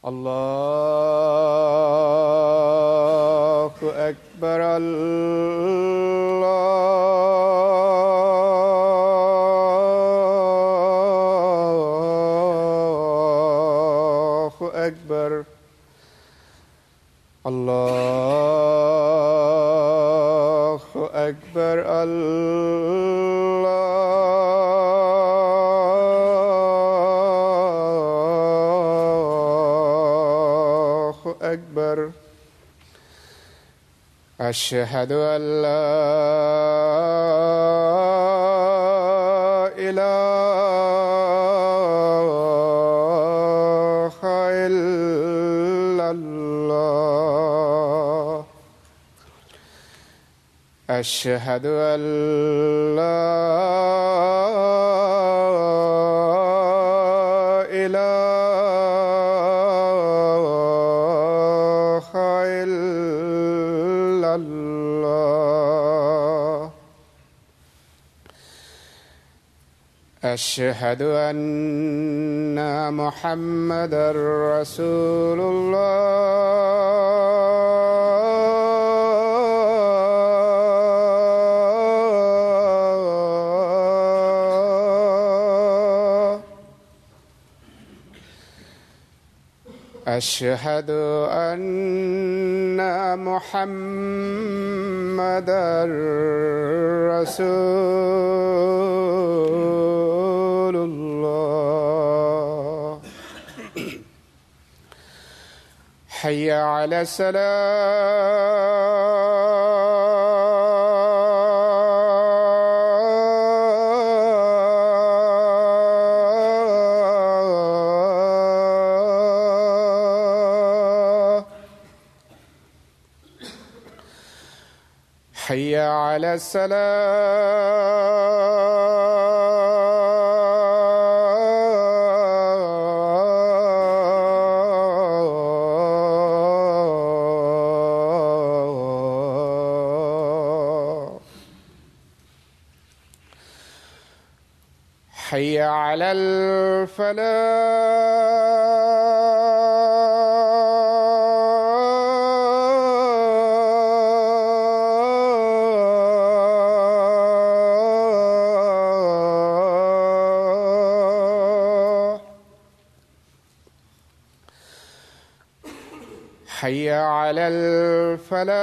الله أكبر الله أكبر الله أكبر الله أكبر أشهد أن لا إله إلا الله أشهد أن لا إله إلا الله أشهد أن محمدًا رسول الله أشهد أن محمدًا رسول الله حي على الصلاة حي على الصلاة حي على الفلاح حي على الفلاح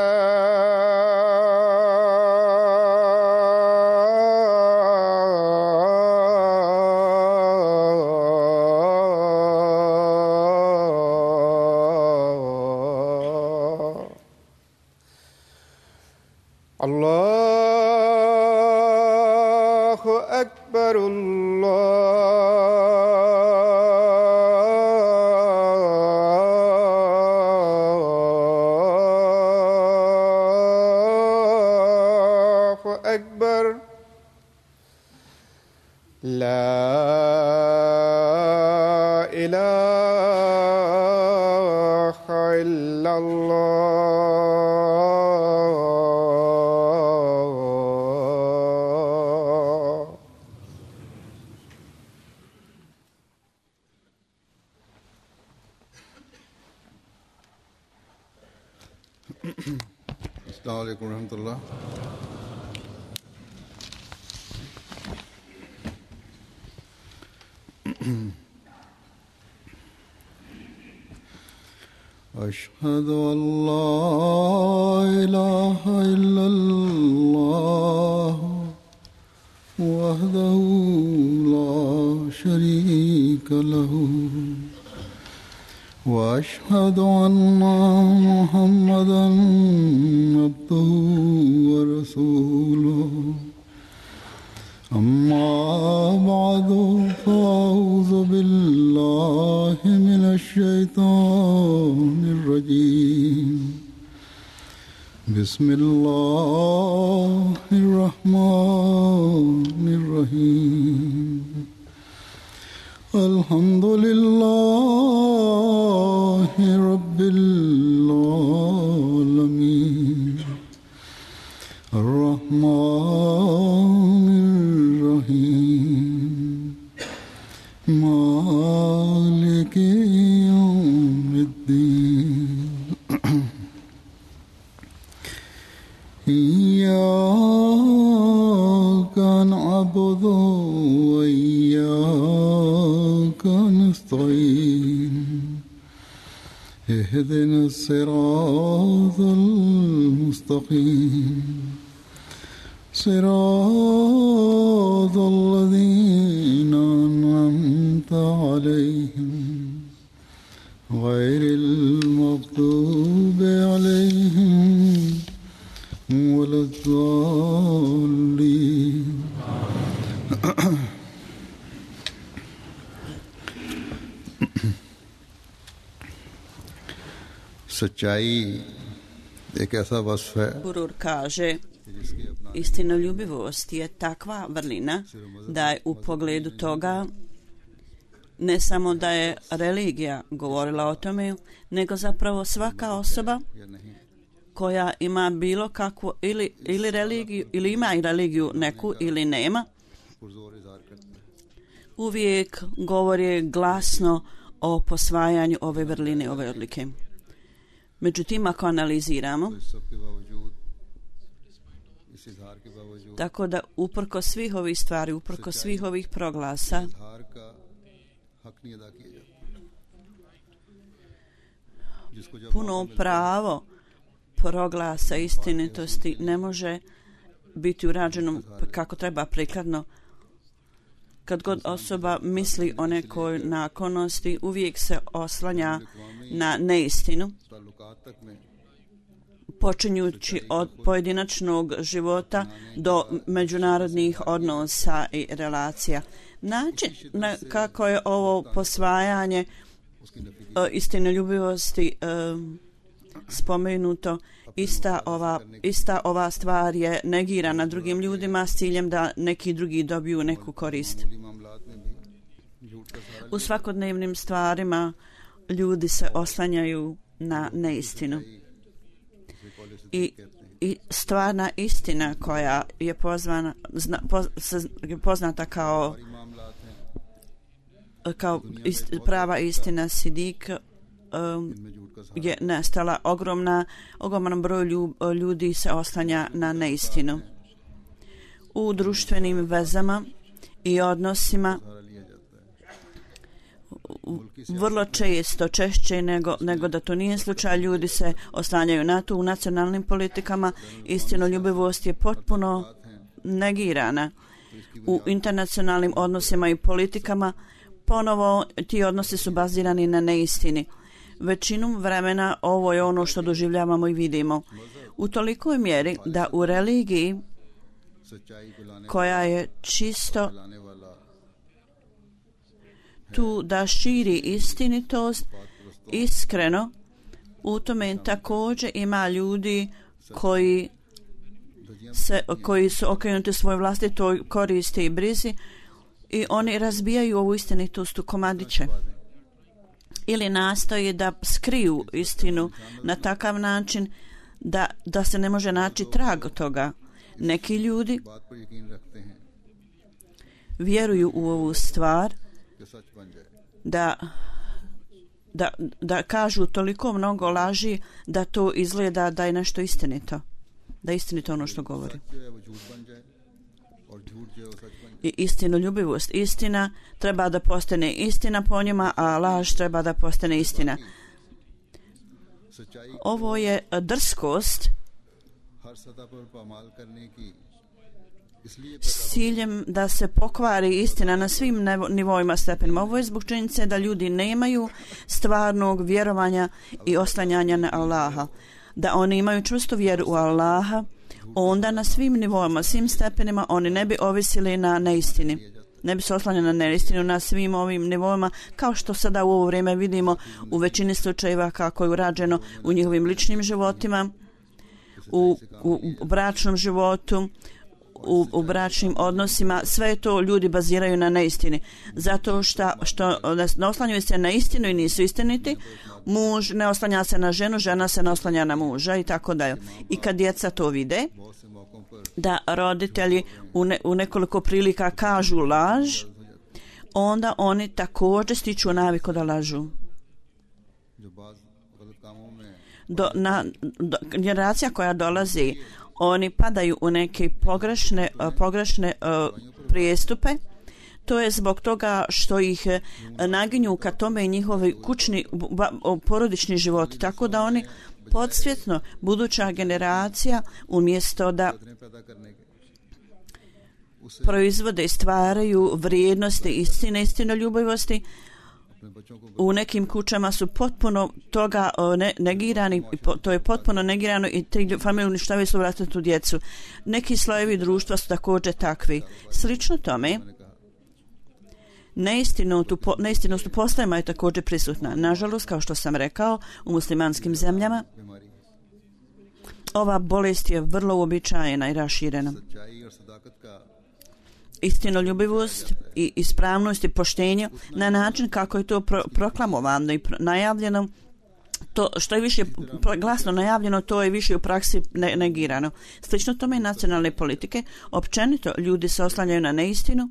الله أكبر الله أكبر لا إله إلا الله अस्सलामु अलैकुम रहमतुल्लाह। أشهد أن لا إله إلا الله وحده لا شريك له وأشهد أن محمدًا عبده ورسوله أما بعد فأعوذ بالله من الشيطان الرجيم بسم الله الرحمن الرحيم الحمد لله رب العالمين الرحمن الرحيم مالك يوم الدين إياك نعبد وإياك نستعين اهدنا الصراط المستقيم صراط الذين أنعمت عليهم غير المغضوب عليهم ولا الضالين. सच्चाई एक ऐसा वस्फ है Gurur kaže, istinoljubivost je takva vrlina da je u pogledu toga ne samo da je religija govorila o tome, nego zapravo svaka osoba koja ima bilo kakvu ili religiju, ili ima i religiju neku ili nema, uvijek govori glasno o posvajanju ove vrline, ove odlike. Međutim, ako analiziramo, tako da uprko svih ovih stvari, uprko svih ovih proglasa, puno pravo proglasa istinitosti ne može biti urađeno kako treba prikladno. Kad god osoba misli o nekoj naklonosti, uvijek se oslanja na neistinu, počinjući od pojedinačnog života do međunarodnih odnosa i relacija. Način kako je ovo posvajanje istinoljubivosti spomenuto, ista ova stvar je negirana drugim ljudima s ciljem da neki drugi dobiju neku korist. U svakodnevnim stvarima ljudi se oslanjaju na neistinu. I stvarna istina koja je poznata kao prava istina Sidik je nestala. Ogroman broj ljudi se oslanja na neistinu. U društvenim vezama i odnosima vrlo često, češće nego da to nije slučaj, ljudi se oslanjaju na to. U nacionalnim politikama istinoljubivost je potpuno negirana. U internacionalnim odnosima i politikama ponovo ti odnosi su bazirani na neistini. Većinu vremena ovo je ono što doživljavamo i vidimo. U tolikoj mjeri da u religiji koja je čisto tu da širi istinitost, iskreno, u tome također ima ljudi koji su okrenuti svoj vlastitoj koristi i brizi i oni razbijaju ovu istinitost u komadiće ili nastoje da skriju istinu na takav način da se ne može naći trag toga. Neki ljudi vjeruju u ovu stvar da kažu toliko mnogo laži da to izgleda da je nešto istinito. Da je istinito ono što govori. I istinoljubivost, istina treba da postane istina po njima, a laž treba da postane istina. Ovo je drskost s ciljem da se pokvari istina na svim nivoima, stepenima. Ovo je zbog činjenice da ljudi nemaju stvarnog vjerovanja i oslanjanja na Allaha. Da oni imaju čvrstu vjeru u Allaha, onda na svim nivoima, svim stepenima oni ne bi ovisili na neistini. Ne bi se oslanjali na neistinu na svim ovim nivoima, kao što sada u ovo vrijeme vidimo u većini slučajeva kako je urađeno u njihovim ličnim životima, u bračnom životu, u bračnim odnosima. Sve to ljudi baziraju na neistini. Zato što ne oslanjaju se na istinu i nisu istiniti, muž ne oslanja se na ženu, žena se ne oslanja na muža i tako dalje. I kad djeca to vide, da roditelji u nekoliko prilika kažu laž, onda oni također stiču naviku da lažu. generacija koja dolazi, oni padaju u neke pogrešne prijestupe. To je zbog toga što ih naginju ka tome i njihovi kućni porodični život, tako da oni podsvjetno, buduća generacija, umjesto da proizvode i stvaraju vrijednosti istine, istinoljubivosti, u nekim kućama su potpuno toga negirani, to je potpuno negirano i te familije uništavaju svoju vlastitu djecu. Neki slojevi društva su također takvi. Slično tome, neistinost u poslovima je također prisutna. Nažalost, kao što sam rekao, u muslimanskim zemljama ova bolest je vrlo uobičajena i raširena. Istinoljubivost i ispravnost i poštenje na način kako je to proklamovano i najavljeno, to što je više glasno najavljeno, to je više u praksi negirano. Slično tome i nacionalne politike. Općenito ljudi se oslanjaju na neistinu.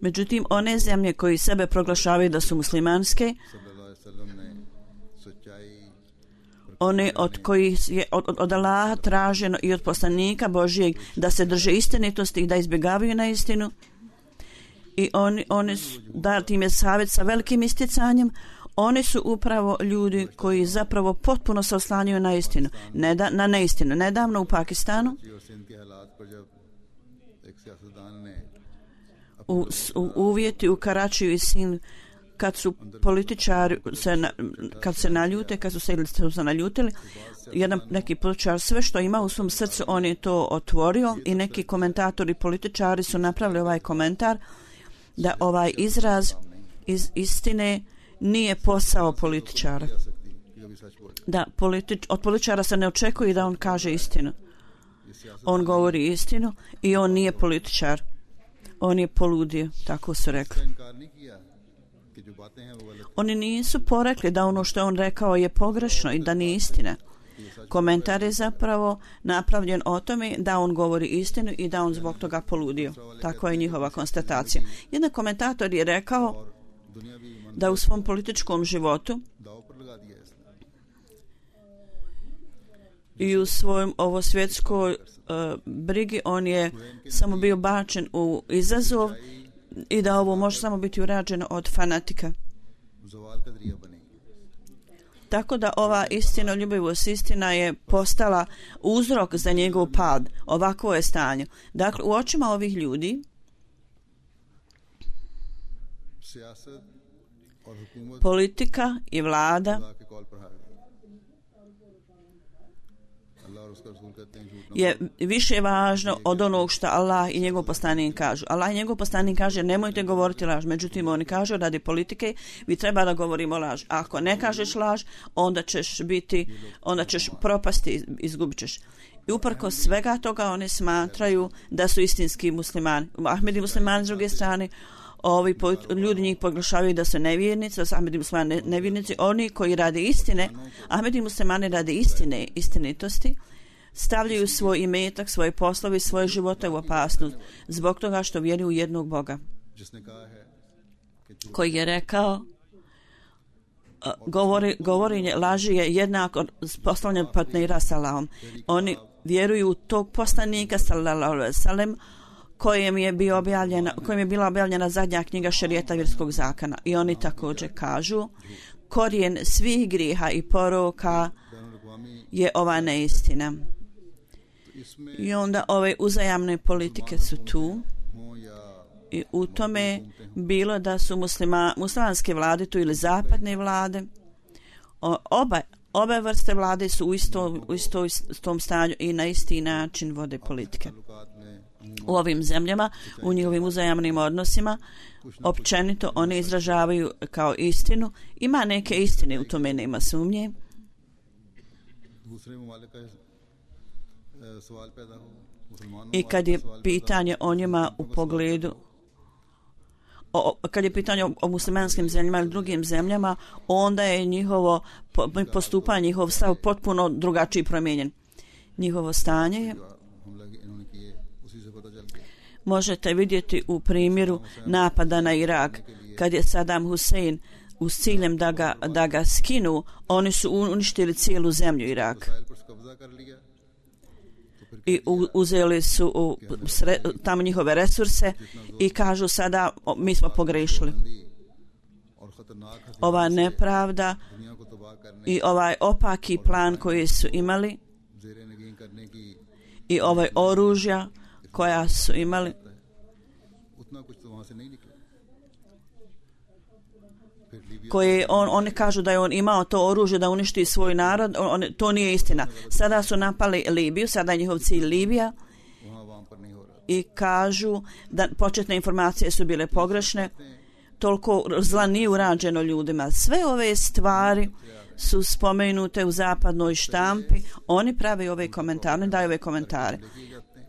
Međutim, one zemlje koji sebe proglašavaju da su muslimanske, one od kojih je od Allaha traženo i od poslanika Božijeg da se drže istinitosti i da izbjegavaju na istinu, i oni su dati im je savjet sa velikim isticanjem. Oni su upravo ljudi koji zapravo potpuno se oslanjaju na istinu, na neistinu. Nedavno u Pakistanu u uvjeti u Karačiju i Sindhu, kad su političari kad se naljutili, neki političar sve što ima u svom srcu on je to otvorio, i neki komentatori političari su napravili ovaj komentar da ovaj izraz iz istine nije posao političara, da od političara se ne očekuje da on kaže istinu. On govori istinu i on nije političar, on je poludio, tako su rekli. Oni nisu porekli da ono što je on rekao je pogrešno i da nije istina. Komentar je zapravo napravljen o tome da on govori istinu i da on zbog toga poludio. Tako je njihova konstatacija. Jedan komentator je rekao da u svom političkom životu i u svojom svjetskoj brigi on je samo bio bačen u izazov i da ovo može samo biti urađeno od fanatika. Tako da ova istinoljubivost, istina je postala uzrok za njegov pad. Ovakvo je stanje. Dakle, u očima ovih ljudi politika i vlada je više važno od onog što Allah i njegov poslanik kažu. Allah i njegov poslanik kaže nemojte govoriti laž, međutim oni kažu radi politike vi treba da govorimo laž. A ako ne kažeš laž, onda ćeš propasti, izgubit ćeš. I uprkos svega toga oni smatraju da su istinski muslimani. Ahmedi muslimani s druge strane, ljudi njih proglašavaju da su nevjernici, da su Ahmedi muslimani nevjernici. Oni koji rade istine, Ahmedi muslimani rade istine, istinitosti, stavljaju svoj imetak, svoje poslovi, svoje živote u opasnost zbog toga što vjeruju u jednog Boga, koji je rekao govorenje laži je jednako poslovljen partnera s Allahom. Oni vjeruju u tog poslanika sallallahu alejhi ve sellem kojem je bila objavljena zadnja knjiga šerijata vjerskog zakona, i oni također kažu korijen svih grijeha i poroka je ova neistina. I onda ove uzajamne politike su tu, i u tome bilo da su muslimanske vlade tu ili zapadne vlade, obe vrste vlade su u istom stanju i na isti način vode politike. U ovim zemljama, u njihovim uzajamnim odnosima, općenito oni izražavaju kao istinu. Ima neke istine, u tome nema sumnje. I kad je pitanje o njima u pogledu kad je pitanje o muslimanskim zemljama ili drugim zemljama, onda je njihovo postupanje, njihov stav potpuno drugačiji, promijenjen. Njihovo stanje je možete vidjeti u primjeru napada na Irak, kad je Saddam Hussein uz ciljem da ga skinu, oni su uništili cijelu zemlju Irak. I uzeli su tamo njihove resurse i kažu sada mi smo pogrešili. Ova nepravda i ovaj opaki plan koji su imali i ovaj oružja koja su imali, koje oni kažu da je on imao to oružje da uništi svoj narod, to nije istina. Sada su napali Libiju, sada je njihov cilj Libija i kažu da početne informacije su bile pogrešne, toliko zla nije urađeno ljudima. Sve ove stvari su spomenute u zapadnoj štampi, oni prave ove komentare, daju ove komentare.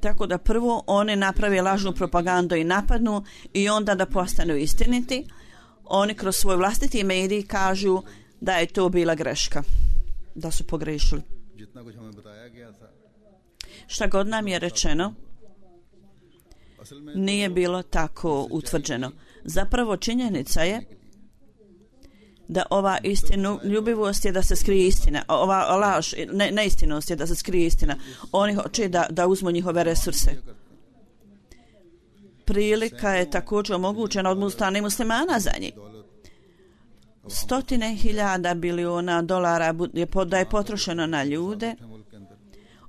Tako da prvo oni naprave lažnu propagandu i napadnu i onda da postanu istiniti. Oni kroz svoj vlastiti medij kažu da je to bila greška, da su pogrešili. Šta god nam je rečeno, nije bilo tako utvrđeno. Zapravo činjenica je da ova istinoljubivost je da se skrije istina, ova laž, neistinost je da se skrije istina. Oni hoće da uzmu njihove resurse. Prilika je također omogućena od strane muslimana za njih. 100.000 biliona dolara da je potrošeno na ljude,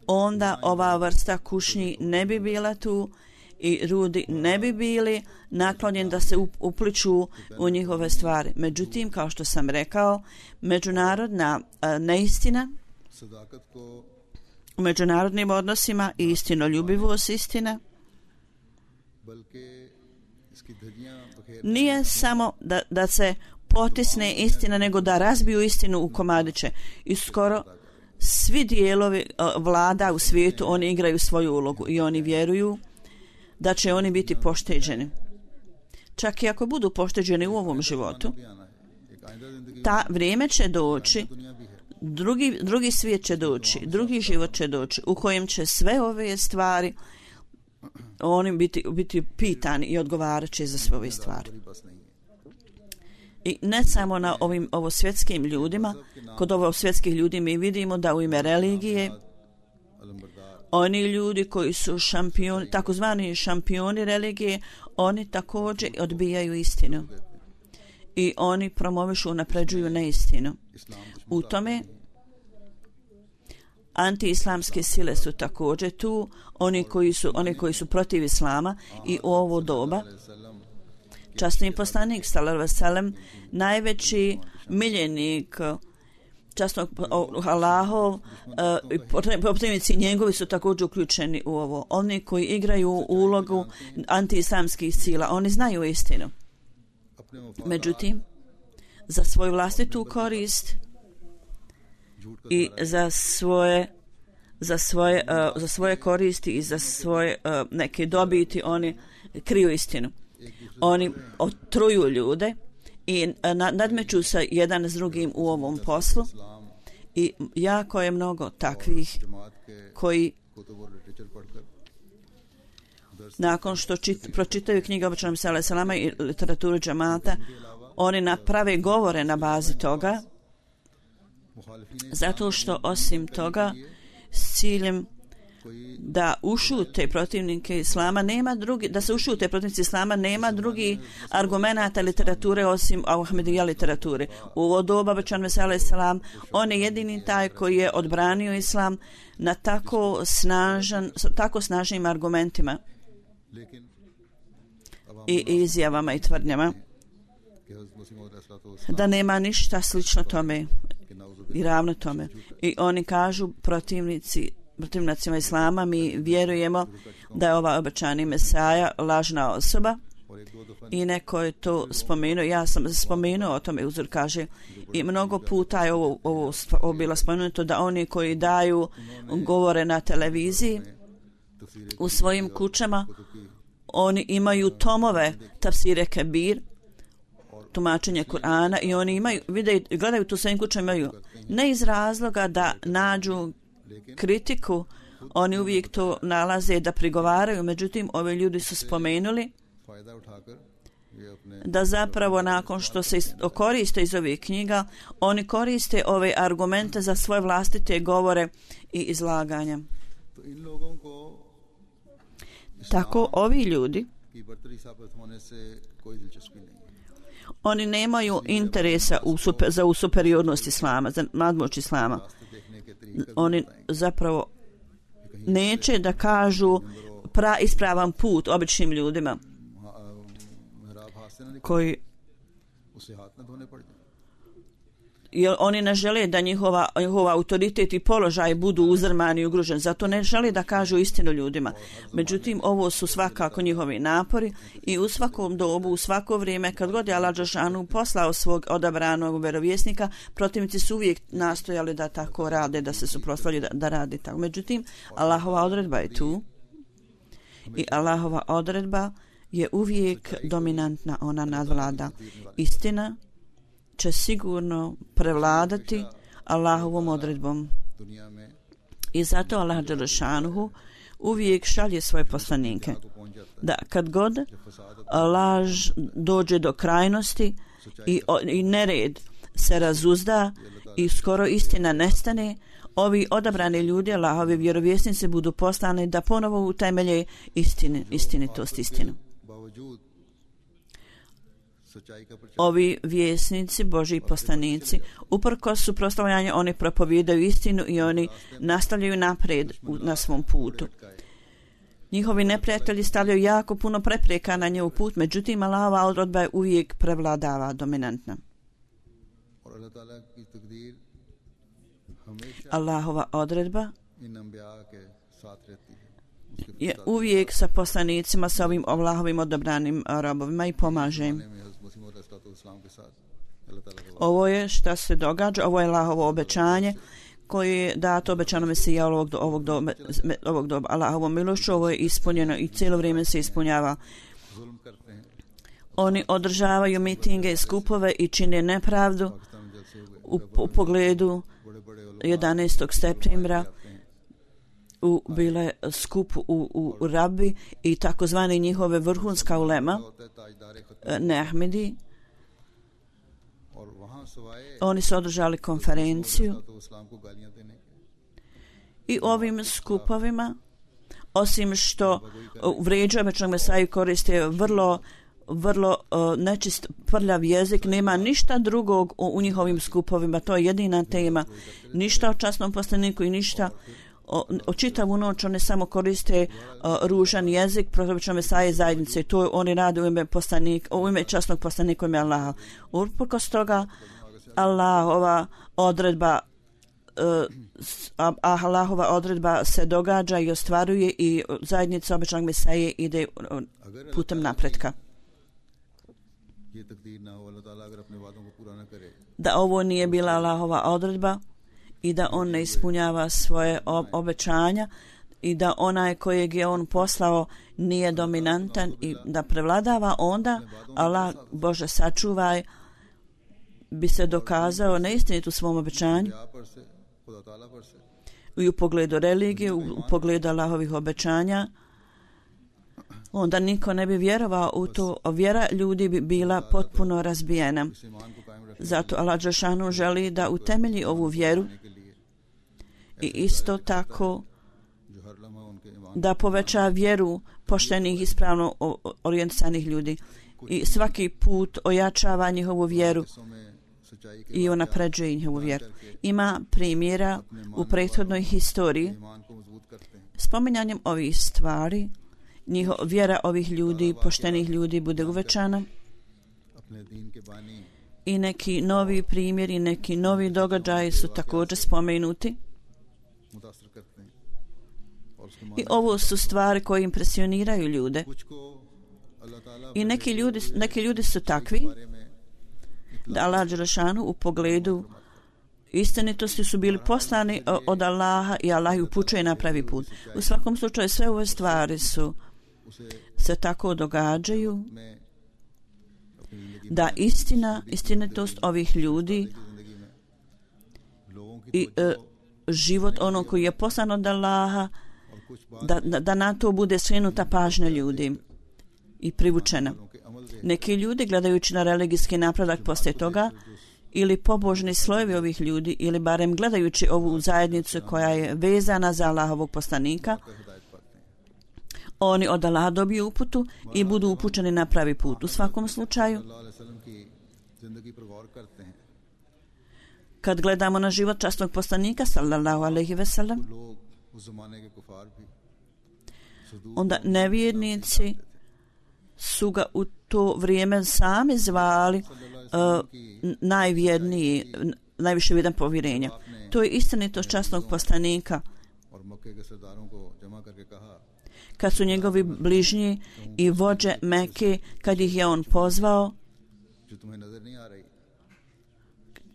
onda ova vrsta kušnji ne bi bila tu i ljudi ne bi bili naklonjeni da se upliču u njihove stvari. Međutim, kao što sam rekao, međunarodna neistina u međunarodnim odnosima i istinoljubivost istina nije samo da se potisne istina, nego da razbiju istinu u komadiće. I skoro svi dijelovi vlada u svijetu, oni igraju svoju ulogu i oni vjeruju da će oni biti pošteđeni. Čak i ako budu pošteđeni u ovom životu, ta vrijeme će doći, drugi svijet će doći, drugi život će doći, u kojem će sve ove stvari oni biti pitani i odgovarat će za sve ove stvari. I ne samo na ovo svjetskim ljudima, kod ovo svjetskih ljudi mi vidimo da u ime religije oni ljudi koji su šampioni, takozvani šampioni religije, oni također odbijaju istinu i oni promovišu, napređuju neistinu. U tome antiislamske sile su također tu, oni koji su protiv islama i u ovo doba časni poslanik sallallahu alejhi ve sellem, najveći miljenik časnog Allahov i protivnici njegovi su također uključeni u ovo. Oni koji igraju ulogu antiislamskih sila, oni znaju istinu. Međutim, za svoju vlastitu korist i za svoje koristi i za svoje neke dobiti oni kriju istinu. Oni otruju ljude i nadmeću se jedan s drugim u ovom poslu i jako je mnogo takvih koji nakon što pročitaju knjige običanom salama i literaturu džamata, oni naprave govore na bazi toga, zato što osim toga s ciljem da ušute protivnike islama nema drugi argumenata literature osim Ahmedija literature. U ovo doba obećan Mesija selam, on je jedini taj koji je odbranio islam na tako snažnim argumentima i izjavama i tvrdnjama da nema ništa slično tome i ravno tome. I oni kažu protivnicima islama, mi vjerujemo da je ova obećani Mesaja lažna osoba i neko je to spomenuo, ja sam spomenuo o tome, uzor kaže, i mnogo puta je ovo bilo spomenuto da oni koji daju govore na televiziji u svojim kućama, oni imaju tomove tafsire Kebir, tumačenje Kur'ana i oni gledaju tu svojim kućama, imaju ne iz razloga da nađu kritiku, oni uvijek to nalaze da prigovaraju, međutim ovi ljudi su spomenuli da zapravo nakon što se koriste iz ovih knjiga, oni koriste ove argumente za svoje vlastite govore i izlaganja. Tako ovi ljudi, oni nemaju interesa za superiornost islama, za nadmoć islama. Oni zapravo neće da kažu ispravan put običnim ljudima koji jer oni ne žele da njihova autoritet i položaj budu uzdrmani i ugroženi, zato ne žele da kažu istinu ljudima. Međutim, ovo su svakako njihovi napori i u svakom dobu, u svako vrijeme, kad god je Allah dželešanu poslao svog odabranog vjerovjesnika, protivnici su uvijek nastojali da tako rade, da se suprotstavljaju da radi tako. Međutim, Allahova odredba je tu i Allahova odredba je uvijek dominantna, ona nadvlada. Istina će sigurno prevladati Allahovom odredbom. I zato Allah dželešanuhu uvijek šalje svoje poslanike. Da kad god laž dođe do krajnosti i nered se razuzda i skoro istina nestane, ovi odabrani ljudi, Allahovi vjerovjesnici, budu poslani da ponovo utemelje istinitost, istinu. Ovi vjesnici, Božji poslanici, uprkos suprotstavljanju, oni propovijedaju istinu i oni nastavljaju naprijed na svom putu. Njihovi neprijatelji stavljaju jako puno prepreka na njihov put, međutim Allahova odredba je uvijek prevladava, dominantna. Allahova odredba je uvijek sa poslanicima, sa ovim Allahovim odabranim robovima i pomaže im. Ovo je šta se događa, ovo je Allahovo obećanje koje je dato obećano Mesija ovog doba. Allahovom milošću ovo je ispunjeno i cijelo vrijeme se ispunjava. Oni održavaju mitinge i skupove i čine nepravdu u pogledu 11. septembra bile skup u Rabi i takozvani njihove vrhunska ulema Nehmidi. Oni su održali konferenciju i ovim skupovima, osim što vrijeđaju obećanog Mesaju, koriste vrlo nečist prljav jezik, nema ništa drugog u njihovim skupovima, to je jedina tema, ništa o časnom poslaniku i ništa o čitavu noć. Oni samo koriste ružan jezik protiv obećanog Mesaje zajednice i to oni rade u ime časnog poslanika, u ime Allaha. Uprkos toga Allahova odredba se događa i ostvaruje i zajednica obećanog Mesaje ide putem napretka. Da ovo nije bila Allahova odredba i da on ne ispunjava svoje obećanja i da onaj kojeg je on poslao nije dominantan i da prevladava, onda Allah, Bože sačuvaj, bi se dokazao neistinit u svom obećanju i u pogledu religije, u pogledu Allahovih obećanja. Onda niko ne bi vjerovao u to, vjera ljudi bi bila potpuno razbijena. Zato Allah dželešanu želi da utemelji ovu vjeru i isto tako da poveća vjeru poštenih, ispravno orijentisanih ljudi i svaki put ojačava njihovu vjeru i unapređuje njihovu vjeru. Ima primjera u prethodnoj historiji. Spominjanjem ovih stvari vjera ovih ljudi, poštenih ljudi, bude uvećana i neki novi primjeri, neki novi događaji su također spomenuti. I ovo su stvari koje impresioniraju ljude. I neki ljudi su takvi da Allah dželešanu u pogledu istinitosti su bili poslani od Allaha i Allah ih upućuje na pravi put. U svakom slučaju sve ove stvari se tako događaju da istinitost ovih ljudi i život onog koji je poslan od Allaha, da na to bude skrenuta pažnja ljudi i privučena. Neki ljudi, gledajući na religijski napredak poslije toga, ili pobožni slojevi ovih ljudi, ili barem gledajući ovu zajednicu koja je vezana za Allahovog poslanika, oni od Allaha dobiju uputu i budu upućeni na pravi put. U svakom slučaju, kad gledamo na život časnog poslanika, sallallahu alejhi ve sellem, onda nevjernici su ga u to vrijeme sami zvali najvjerniji, najviše vrijedan povjerenja. To je istinitost časnog poslanika. Kad su njegovi bližnji i vođe Mekke, kad ih je on pozvao,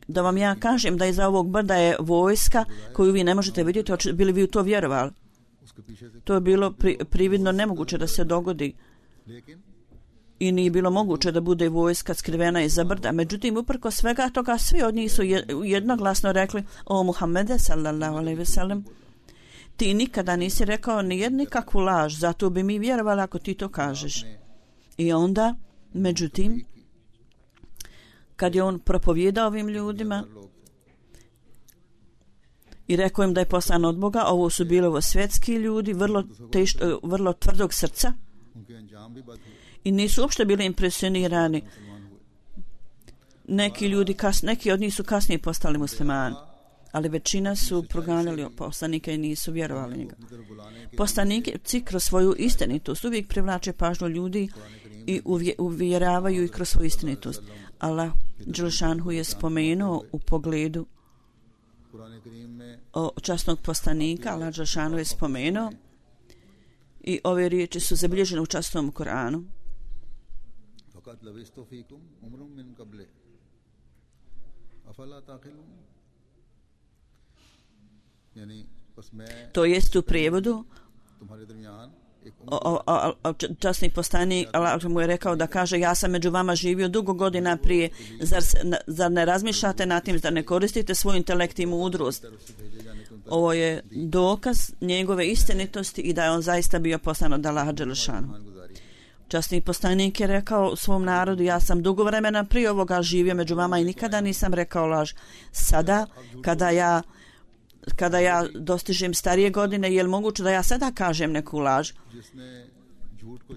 da vam ja kažem da iza ovog brda je vojska koju vi ne možete vidjeti, bili vi u to vjerovali? To je bilo prividno nemoguće da se dogodi i nije bilo moguće da bude vojska skrivena iza brda. Međutim, uprko svega toga, svi od njih su jednoglasno rekli: o Muhammede, sallallahu alejhi ve sellem, ti nikada nisi rekao nikakvu laž, zato bi mi vjerovali ako ti to kažeš. I onda, međutim, kad je on propovijedao ovim ljudima i rekao im da je poslan od Boga, ovo su bili ovo svjetski ljudi, vrlo tvrdog srca i nisu uopšte bili impresionirani. Neki od njih su kasnije postali muslimani, ali većina su proganjali poslanika i nisu vjerovali njega. Poslanici kroz svoju istinitost uvijek privlače pažnju ljudi i uvjeravaju ih kroz svoju istinitost. Allah Đelšanhu je spomenuo u pogledu časnog poslanika, Allah Đelšanhu je spomenuo i ove riječi su zabilježene u časnom Koranu. To jest u prijevodu časni poslanik Allah mu je rekao da kaže: ja sam među vama živio dugo godina prije, zar ne razmišljate nad tim, zar ne koristite svoj intelekt i mudrost? Ovo je dokaz njegove istinitosti i da je on zaista bio poslan od Allaha Đelešanu. Časni poslanik je rekao u svom narodu: ja sam dugo vremena prije ovoga živio među vama i nikada nisam rekao laž. Sada, kada ja dostižem starije godine, je li moguće da ja sada kažem neku laž?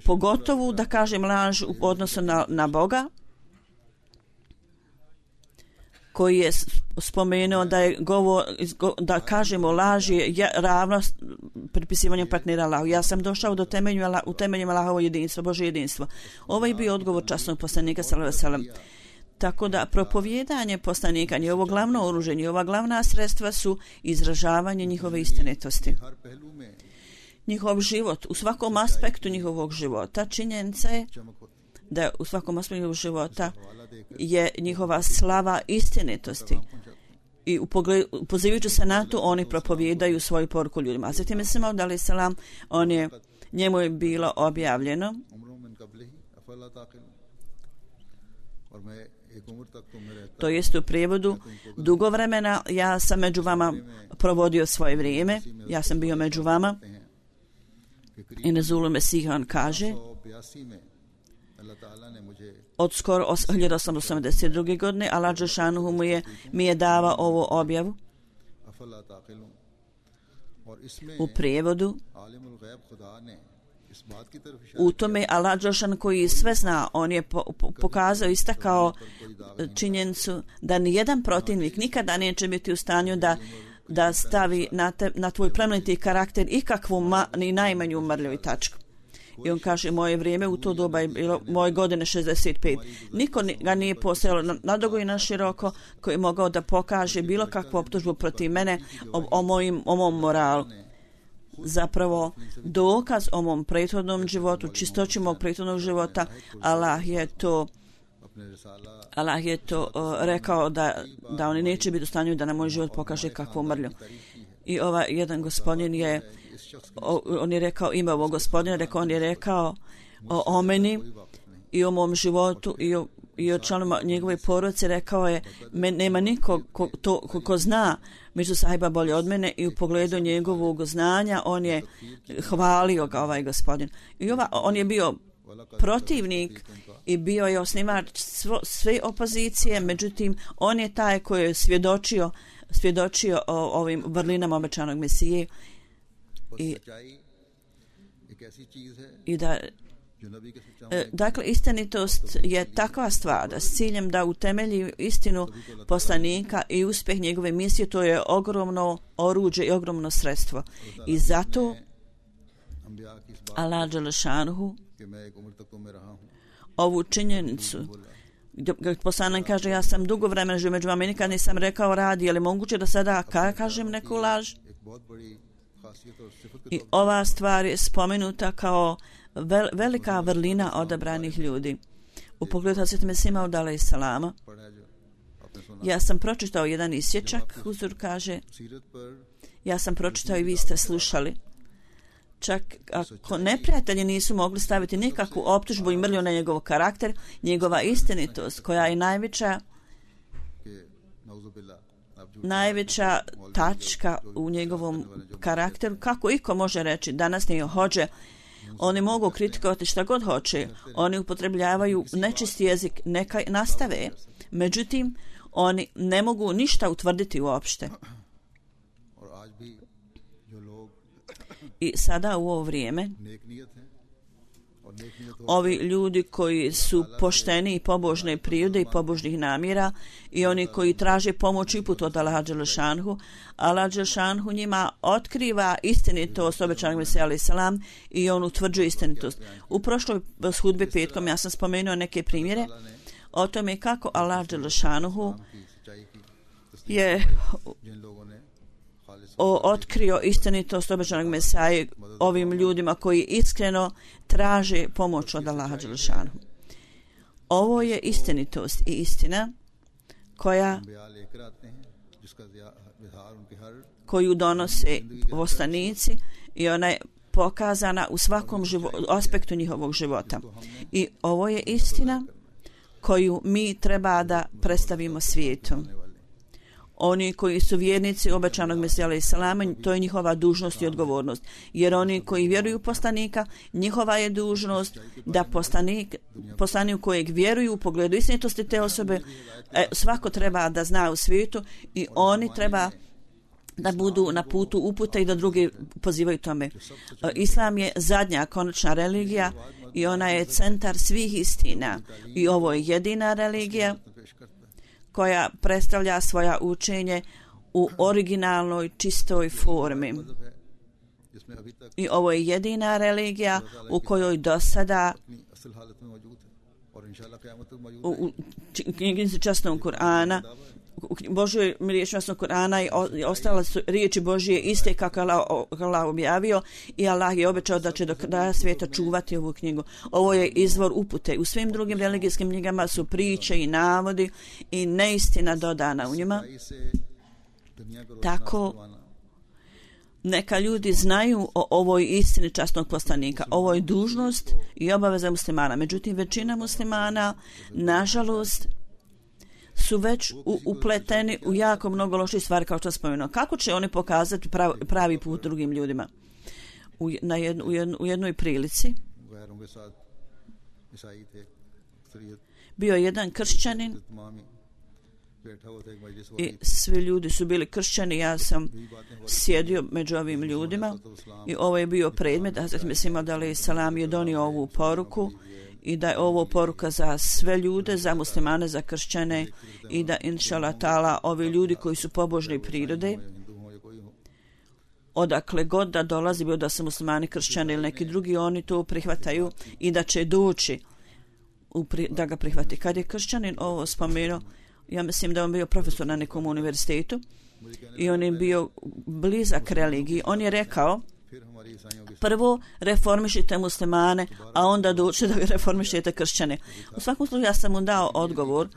Pogotovo da kažem laž u odnosu na Boga, koji je spomenuo da kažemo laž je ravno pripisivanju partnera Allahu. Ja sam došao do temeljima Allahovo jedinstvo, Božje jedinstvo. Ovo je bio odgovor časnog poslanika sallallahu alejhi ve sellem. Tako da propovijedanje poslanika, njihovo glavno oružje, njihova glavna sredstva su izražavanje njihove istinitosti. Njihov život, u svakom aspektu njihovog života, činjenica je da u svakom aspektu njihovog života je njihova slava istinitosti. I pozivajući se na to, oni propovijedaju svoju poruku ljudima. A zatim mislim odali selam, njemu je bilo objavljeno to jest u prijevodu: dugo vremena ja sam među vama provodio svoje vrijeme, ja sam bio među vama. I Nezulu Mesihan kaže: od skoro 1882. godine Allah Đelšanuhu mi je davao ovu objavu. U prijevodu: u tome Allah Đelšan koji sve zna, on je pokazao, istakao činjenicu da nijedan protivnik nikada neće biti u stanju da stavi na tvoj plemeniti karakter ikakvu ni najmanju mrlju i tačku. I on kaže: moje vrijeme u to doba je bilo moje godine 65. Niko ga nije postojalo nadugo i na široko koji je mogao da pokaže bilo kakvu optužbu protiv mene o mom moralu. Zapravo dokaz o mom prethodnom životu, čistoći mog prethodnog života, Allah je to rekao da oni neće biti u stanju da na moj život pokaže kakvu mrlju. I jedan gospodin on je rekao ime ovog gospodina, on je rekao o meni i o mom životu i o članima njegove porodice, rekao je: nema niko ko zna među sahiba bolje od mene, i u pogledu njegovog znanja on je hvalio ga ovaj gospodin. I on je bio protivnik i bio je osnivač sve opozicije, međutim on je taj koji je svjedočio o ovim vrlinama obećanog Mesije i da dakle istinitost je takva stvar da s ciljem da utemelji istinu poslanika i uspjeh njegove misije, to je ogromno oruđe i ogromno sredstvo i zato Allah dželešanuhu ovu činjenicu poslanik kaže ja sam dugo vremena živio među vama i nikad nisam rekao radi, je li moguće da sada kažem neku laž? I ova stvar je spomenuta kao velika vrlina odabranih ljudi. U pogledu Hazreti Mesih Maud alejhi selama ja sam pročitao jedan isječak, Huzur kaže, ja sam pročitao i vi ste slušali. Čak ako neprijatelji nisu mogli staviti nikakvu optužbu i mrlju na njegov karakter, njegova istinitost koja je najveća tačka u njegovom karakteru, kako iko može reći danas nije hođe, oni mogu kritikovati šta god hoće, oni upotrebljavaju nečisti jezik, neka nastave, međutim oni ne mogu ništa utvrditi uopšte. I sada u ovo vrijeme ovi ljudi koji su pošteni i pobožne prirode i pobožnih namjera i oni koji traže pomoć i put od Allaha dželešanhu, Allah dželešanhu njima otkriva istinitost obećanog Mesija alejhi selam i on utvrđuje istinitost. U prošloj hudbi petkom ja sam spomenuo neke primjere o tome kako Allah dželešanhu je otkrio istinitost obećanog Mesija ovim ljudima koji iskreno traže pomoć od Allaha dželešanhu. Ovo je istinitost i istina koju donose poslanici i ona je pokazana u svakom aspektu njihovog života. I ovo je istina koju mi treba da predstavimo svijetu. Oni koji su vjernici obećanog Mesija alejhi selama, to je njihova dužnost i odgovornost. Jer oni koji vjeruju u poslanika, njihova je dužnost da poslanik u kojeg vjeruju u pogledu istinitosti te osobe, svako treba da zna u svijetu i oni treba da budu na putu upute i da drugi pozivaju tome. Islam je zadnja konačna religija i ona je centar svih istina i ovo je jedina religija koja predstavlja svoja učenje u originalnoj čistoj formi. I ovo je jedina religija u kojoj do sada u knjižnici časnog Kur'ana, u Božoj riječi časnog Kur'ana i ostale su riječi Božije iste kako Allah objavio i Allah je obećao da će do kraja svijeta čuvati ovu knjigu. Ovo je izvor upute. U svim drugim religijskim knjigama su priče i navodi i neistina dodana u njima. Tako neka ljudi znaju o ovoj istini časnog poslanika. Ovo je dužnost i obaveza muslimana. Međutim, većina muslimana, nažalost, su već upleteni u jako mnogo loših stvari, kao što sam spomenuo. Kako će oni pokazati pravi put drugim ljudima? U jednoj prilici bio jedan kršćanin i svi ljudi su bili kršćani. Ja sam sjedio među ovim ljudima i ovo je bio predmet. Hazreti Mesih Maud alejhi selam je donio ovu poruku i da je ovo poruka za sve ljude, za muslimane, za kršćane i da inšallah ta'ala ovi ljudi koji su pobožne prirode, odakle god da dolazi, bilo da su muslimani, kršćani ili neki drugi, oni to prihvataju i da će doći da ga prihvati. Kad je kršćanin ovo spomenuo, ja mislim da on bio profesor na nekom univerzitetu i on je bio blizak religiji. On je rekao, prvo reformišite muslimane, a onda dođete da reformišete kršćane. U svakom slučaju ja sam mu dao odgovor,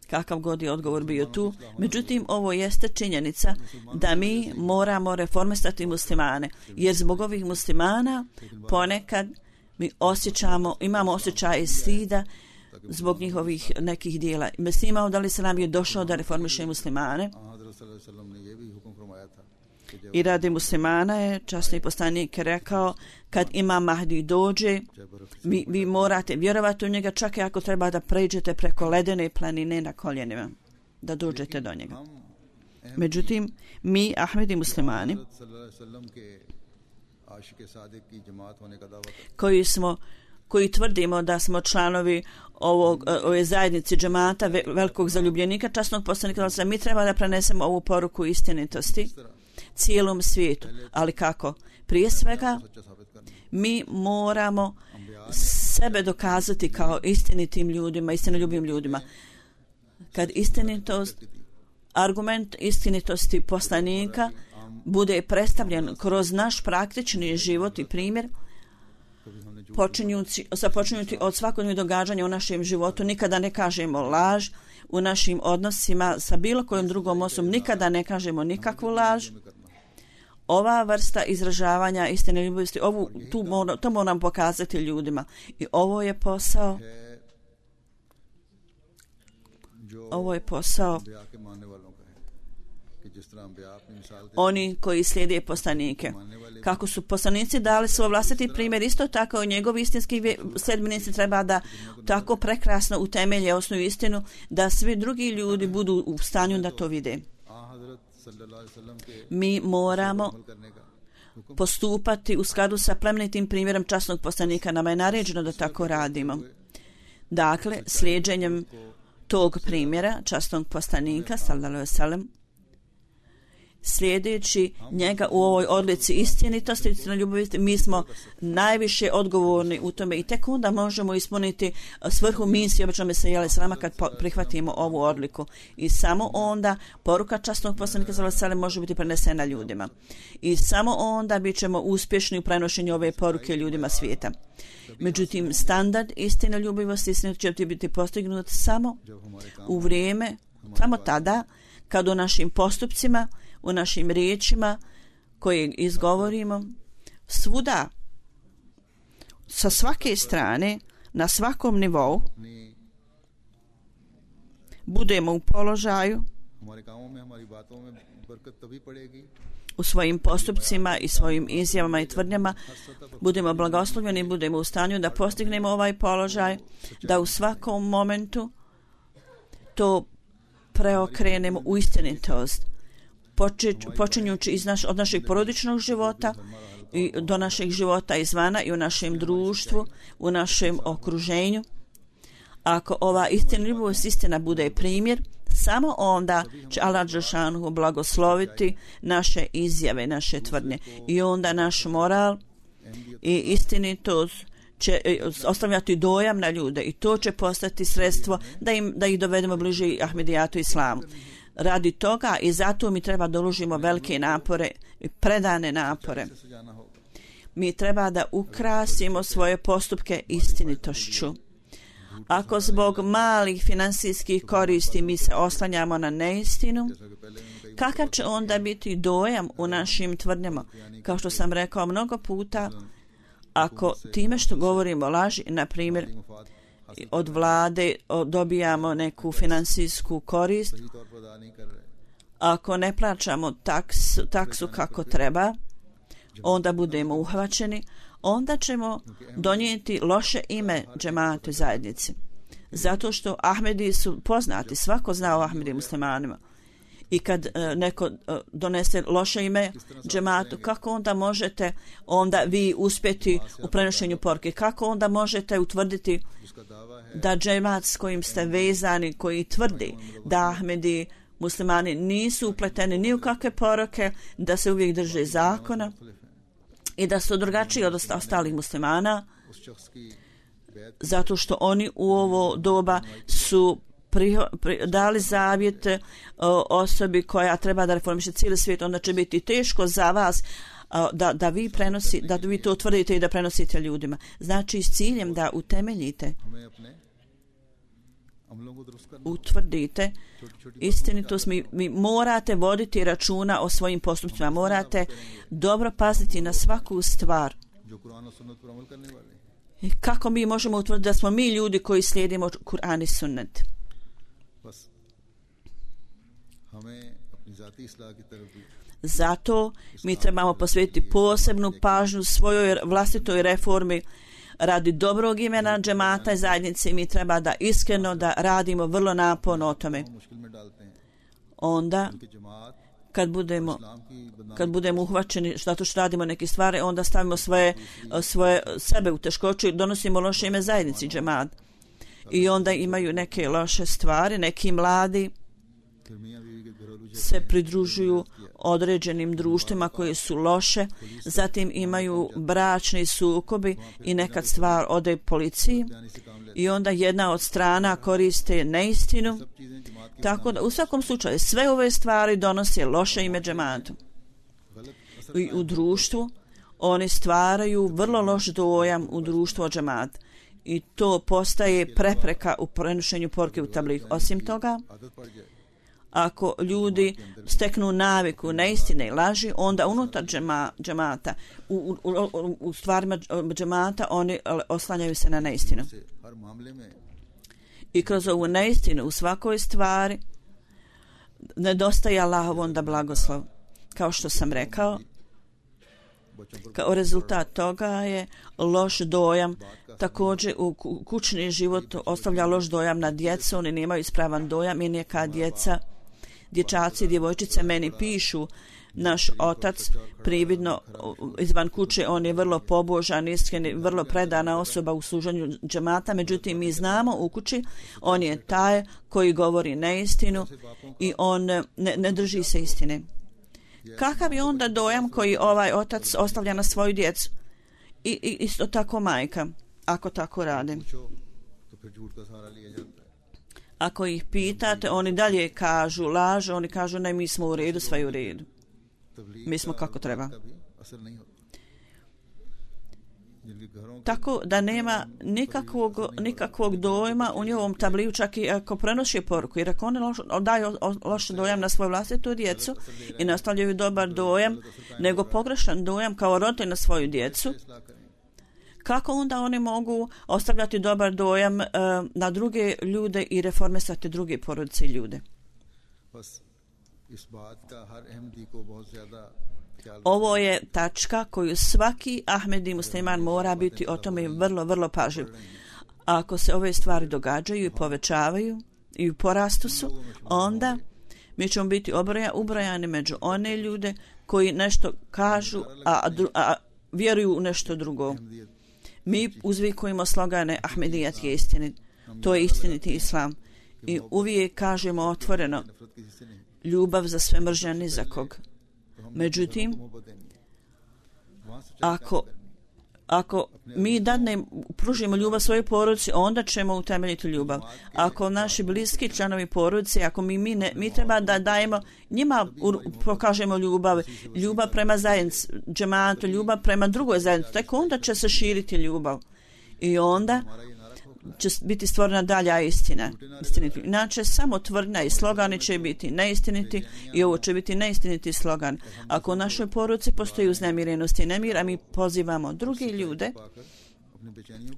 kakav god je odgovor bio tu, međutim ovo jeste činjenica da mi moramo reformisati muslimane, jer zbog ovih muslimana ponekad mi imamo osjećaj stida zbog njihovih nekih dijela. Mesih Maud alejhi selam je došao da reformiše muslimane I radi muslimana je časni poslanik rekao, kad Imam Mahdi dođe, vi morate vjerovati u njega, čak i ako treba da pređete preko ledene planine na koljenima, da dođete do njega. Međutim, mi, Ahmedi muslimani, koji tvrdimo da smo članovi ove zajednice džemata velikog zaljubljenika časnog poslanika, mi treba da prenesemo ovu poruku istinitosti cijelom svijetu. Ali kako? Prije svega, mi moramo sebe dokazati kao istinitim ljudima, istinoljubim ljudima. Kad argument istinitosti poslanika bude predstavljen kroz naš praktični život i primjer, počinjući od svakodnevnih događanja u našem životu, nikada ne kažemo laž, u našim odnosima sa bilo kojom drugom osobom nikada ne kažemo nikakvu laž. Ova vrsta izražavanja istine ljubavi, to moram pokazati ljudima. I ovo je posao oni koji slijede poslanike. Kako su poslanici dali svoj vlastiti primjer, isto tako njegovi istinski sljedbenici treba da tako prekrasno utemelje osnovu istinu da svi drugi ljudi budu u stanju da to vide. Mi moramo postupati u skladu sa plemenitim primjerom časnog poslanika. Nama je naređeno da tako radimo. Dakle, slijeđenjem tog primjera časnog poslanika sallallahu alejhi ve sellem, slijedeći njega u ovoj odlici istinitosti i ljubavi, mi smo najviše odgovorni u tome i tek onda možemo ispuniti svrhu misije obično Mesija alejhi selama kad prihvatimo ovu odliku. I samo onda poruka časnog poslanika sallallahu alejhi ve sellem može biti prenesena ljudima. I samo onda bit ćemo uspješni u prenošenju ove poruke ljudima svijeta. Međutim, standard istine ljubivosti će biti postignut samo u vrijeme, samo tada kad u našim postupcima, u našim riječima koje izgovorimo, svuda, sa svake strane, na svakom nivou, budemo u položaju u svojim postupcima i svojim izjavama i tvrdnjama, budemo blagoslovljeni, budemo u stanju da postignemo ovaj položaj, da u svakom momentu to preokrenemo u istinitost, počinjući od našeg porodičnog života i do našeg života izvana i u našem društvu, u našem okruženju. Ako ova istina bude primjer, samo onda će Allah dželešanu blagosloviti naše izjave, naše tvrdnje. I onda naš moral i istinitost će ostavljati dojam na ljude i to će postati sredstvo da ih dovedemo bliže Ahmedijatu islamu. Radi toga i zato mi treba da uložimo velike napore, predane napore. Mi treba da ukrasimo svoje postupke istinitošću. Ako zbog malih finansijskih koristi mi se oslanjamo na neistinu, kakav će onda biti dojam u našim tvrdnjama? Kao što sam rekao mnogo puta, ako time što govorimo laži, na primjer, od vlade dobijamo neku finansijsku korist, ako ne plaćamo taksu kako treba, onda budemo uhvaćeni, onda ćemo donijeti loše ime džematu zajednici. Zato što Ahmedi su poznati, svako zna o Ahmedi muslimanima. I kad neko donese loše ime džematu, kako onda možete onda vi uspjeti u prenošenju poruke? Kako onda možete utvrditi da džemat s kojim ste vezani, koji tvrdi da Ahmedi muslimani nisu upleteni ni u kakve poruke, da se uvijek drže zakona i da su drugačiji od ostalih muslimana, zato što oni u ovo doba su dali zavjet osobi koja treba da reformiše cijeli svijet, onda će biti teško za vas da vi to utvrdite i da prenosite ljudima. Znači s ciljem da utemeljite, utvrdite istinitost, mi morate voditi računa o svojim postupcima, morate dobro paziti na svaku stvar. I kako mi možemo utvrditi da smo mi ljudi koji slijedimo Kur'an i sunnet? Zato mi trebamo posvetiti posebnu pažnju svojoj vlastitoj reformi radi dobrog imena džemata i zajednice. Mi treba da iskreno da radimo vrlo naporno o tome. Onda kad budemo uhvaćeni zato što radimo neke stvari, onda stavimo svoje sebe u teškoću i donosimo loše ime zajednici džemat. I onda imaju neke loše stvari, neki mladi se pridružuju određenim društvima koji su loše, zatim imaju bračni sukobi i nekad stvar ode policiji i onda jedna od strana koriste neistinu. Tako da u svakom slučaju sve ove stvari donose loše ime džematu. I u društvu oni stvaraju vrlo loš dojam u društvu o džemat. I to postaje prepreka u prenošenju poruke u tabligh. Osim toga, ako ljudi steknu naviku neistine i laži, onda unutar džemata, u stvarima džemata, oni oslanjaju se na neistinu. I kroz ovu neistinu u svakoj stvari nedostaje Allahov onda blagoslov. Kao što sam rekao, kao rezultat toga je loš dojam. Također u kućni život ostavlja loš dojam na djecu, oni nemaju ispravan dojam i neka dječaci i djevojčice meni pišu, naš otac prividno izvan kuće, on je vrlo pobožan, iskren, vrlo predana osoba u služenju džemata, međutim mi znamo u kući on je taj koji govori neistinu i on ne drži se istine. Kakav je onda dojam koji ovaj otac ostavlja na svoju djecu? I isto tako majka, ako tako rade. Ako ih pitate, oni dalje kažu lažu, oni kažu ne, mi smo u redu, sve je u redu. Mi smo kako treba. Tako da nema nikakvog dojma u njihovom tabliju, čak i ako prenosi poruku, jer ako oni daju loš dojam na svoju vlastitu djecu i nastavljaju dobar dojam, nego pogrešan dojam kao roditelj na svoju djecu, kako onda oni mogu ostavljati dobar dojam na druge ljude i reformisati druge porodice i ljude? Ovo je tačka koju svaki Ahmedi musliman mora biti o tome vrlo, vrlo pažljiv. Ako se ove stvari događaju i povećavaju i u porastu su, onda mi ćemo biti ubrojani među one ljude koji nešto kažu, a vjeruju u nešto drugo. Mi uzvikujemo slogane Ahmedijat je istinit. To je istiniti islam. I uvijek kažemo otvoreno ljubav za sve, mržnja ni za kog. Međutim, ako mi pružimo ljubav svojoj porodici, onda ćemo utemeljiti ljubav. Ako naši bliski članovi porodice, ako mi treba da dajemo njima, pokažemo ljubav prema zajednici, džematu, ljubav prema drugoj zajednici, tako onda će se širiti ljubav. I onda će biti stvorena dalja istina. Inače, samo tvrdnja i slogani će biti neistiniti i ovo će biti neistiniti slogan. Ako u našoj poruci postoji uznemirenost i nemir, a mi pozivamo drugi ljude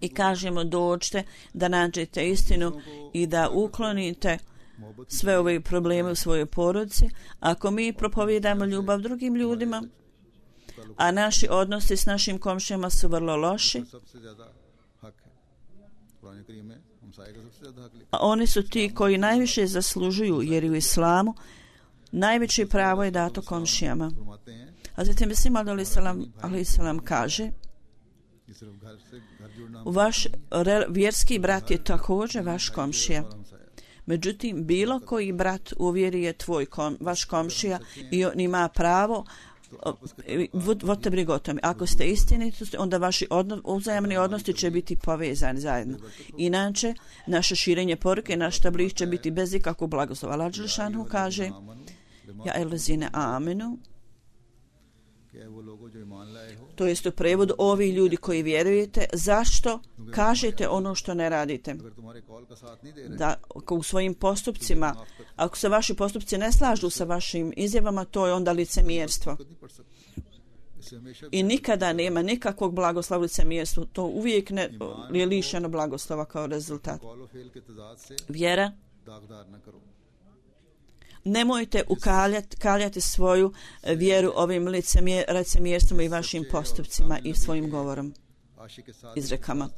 i kažemo dođite da nađete istinu i da uklonite sve ove probleme u svojoj poruci. Ako mi propovijedamo ljubav drugim ljudima, a naši odnosi s našim komšijama su vrlo loši, a oni su ti koji najviše zaslužuju, jer u islamu najveće pravo je dato komšijama. Hazreti Mesih alejhiselam kaže, vaš vjerski brat je također vaš komšija. Međutim, bilo koji brat u vjeri je vaš komšija i on ima pravo vodite brigu o tome. Ako ste istiniti, onda vaši uzajamni odnosi će biti povezani zajedno. Inače, naše širenje poruke, naš tabligh će biti bez ikakvog blagoslova. Allah dželešanu kaže, ja elazine amenu, to jest u prevodu ovi ljudi koji vjerujete, zašto kažete ono što ne radite? Da u svojim postupcima, ako se vaši postupci ne slažu sa vašim izjavama, to je onda licemjerstvo. I nikada nema nikakvog blagoslova licemjerstvu, to uvijek je lišeno blagoslova kao rezultat. Vjera, Nemojte kaljati svoju vjeru ovim licemjerstvom i vašim postupcima i svojim govorom, izrekama.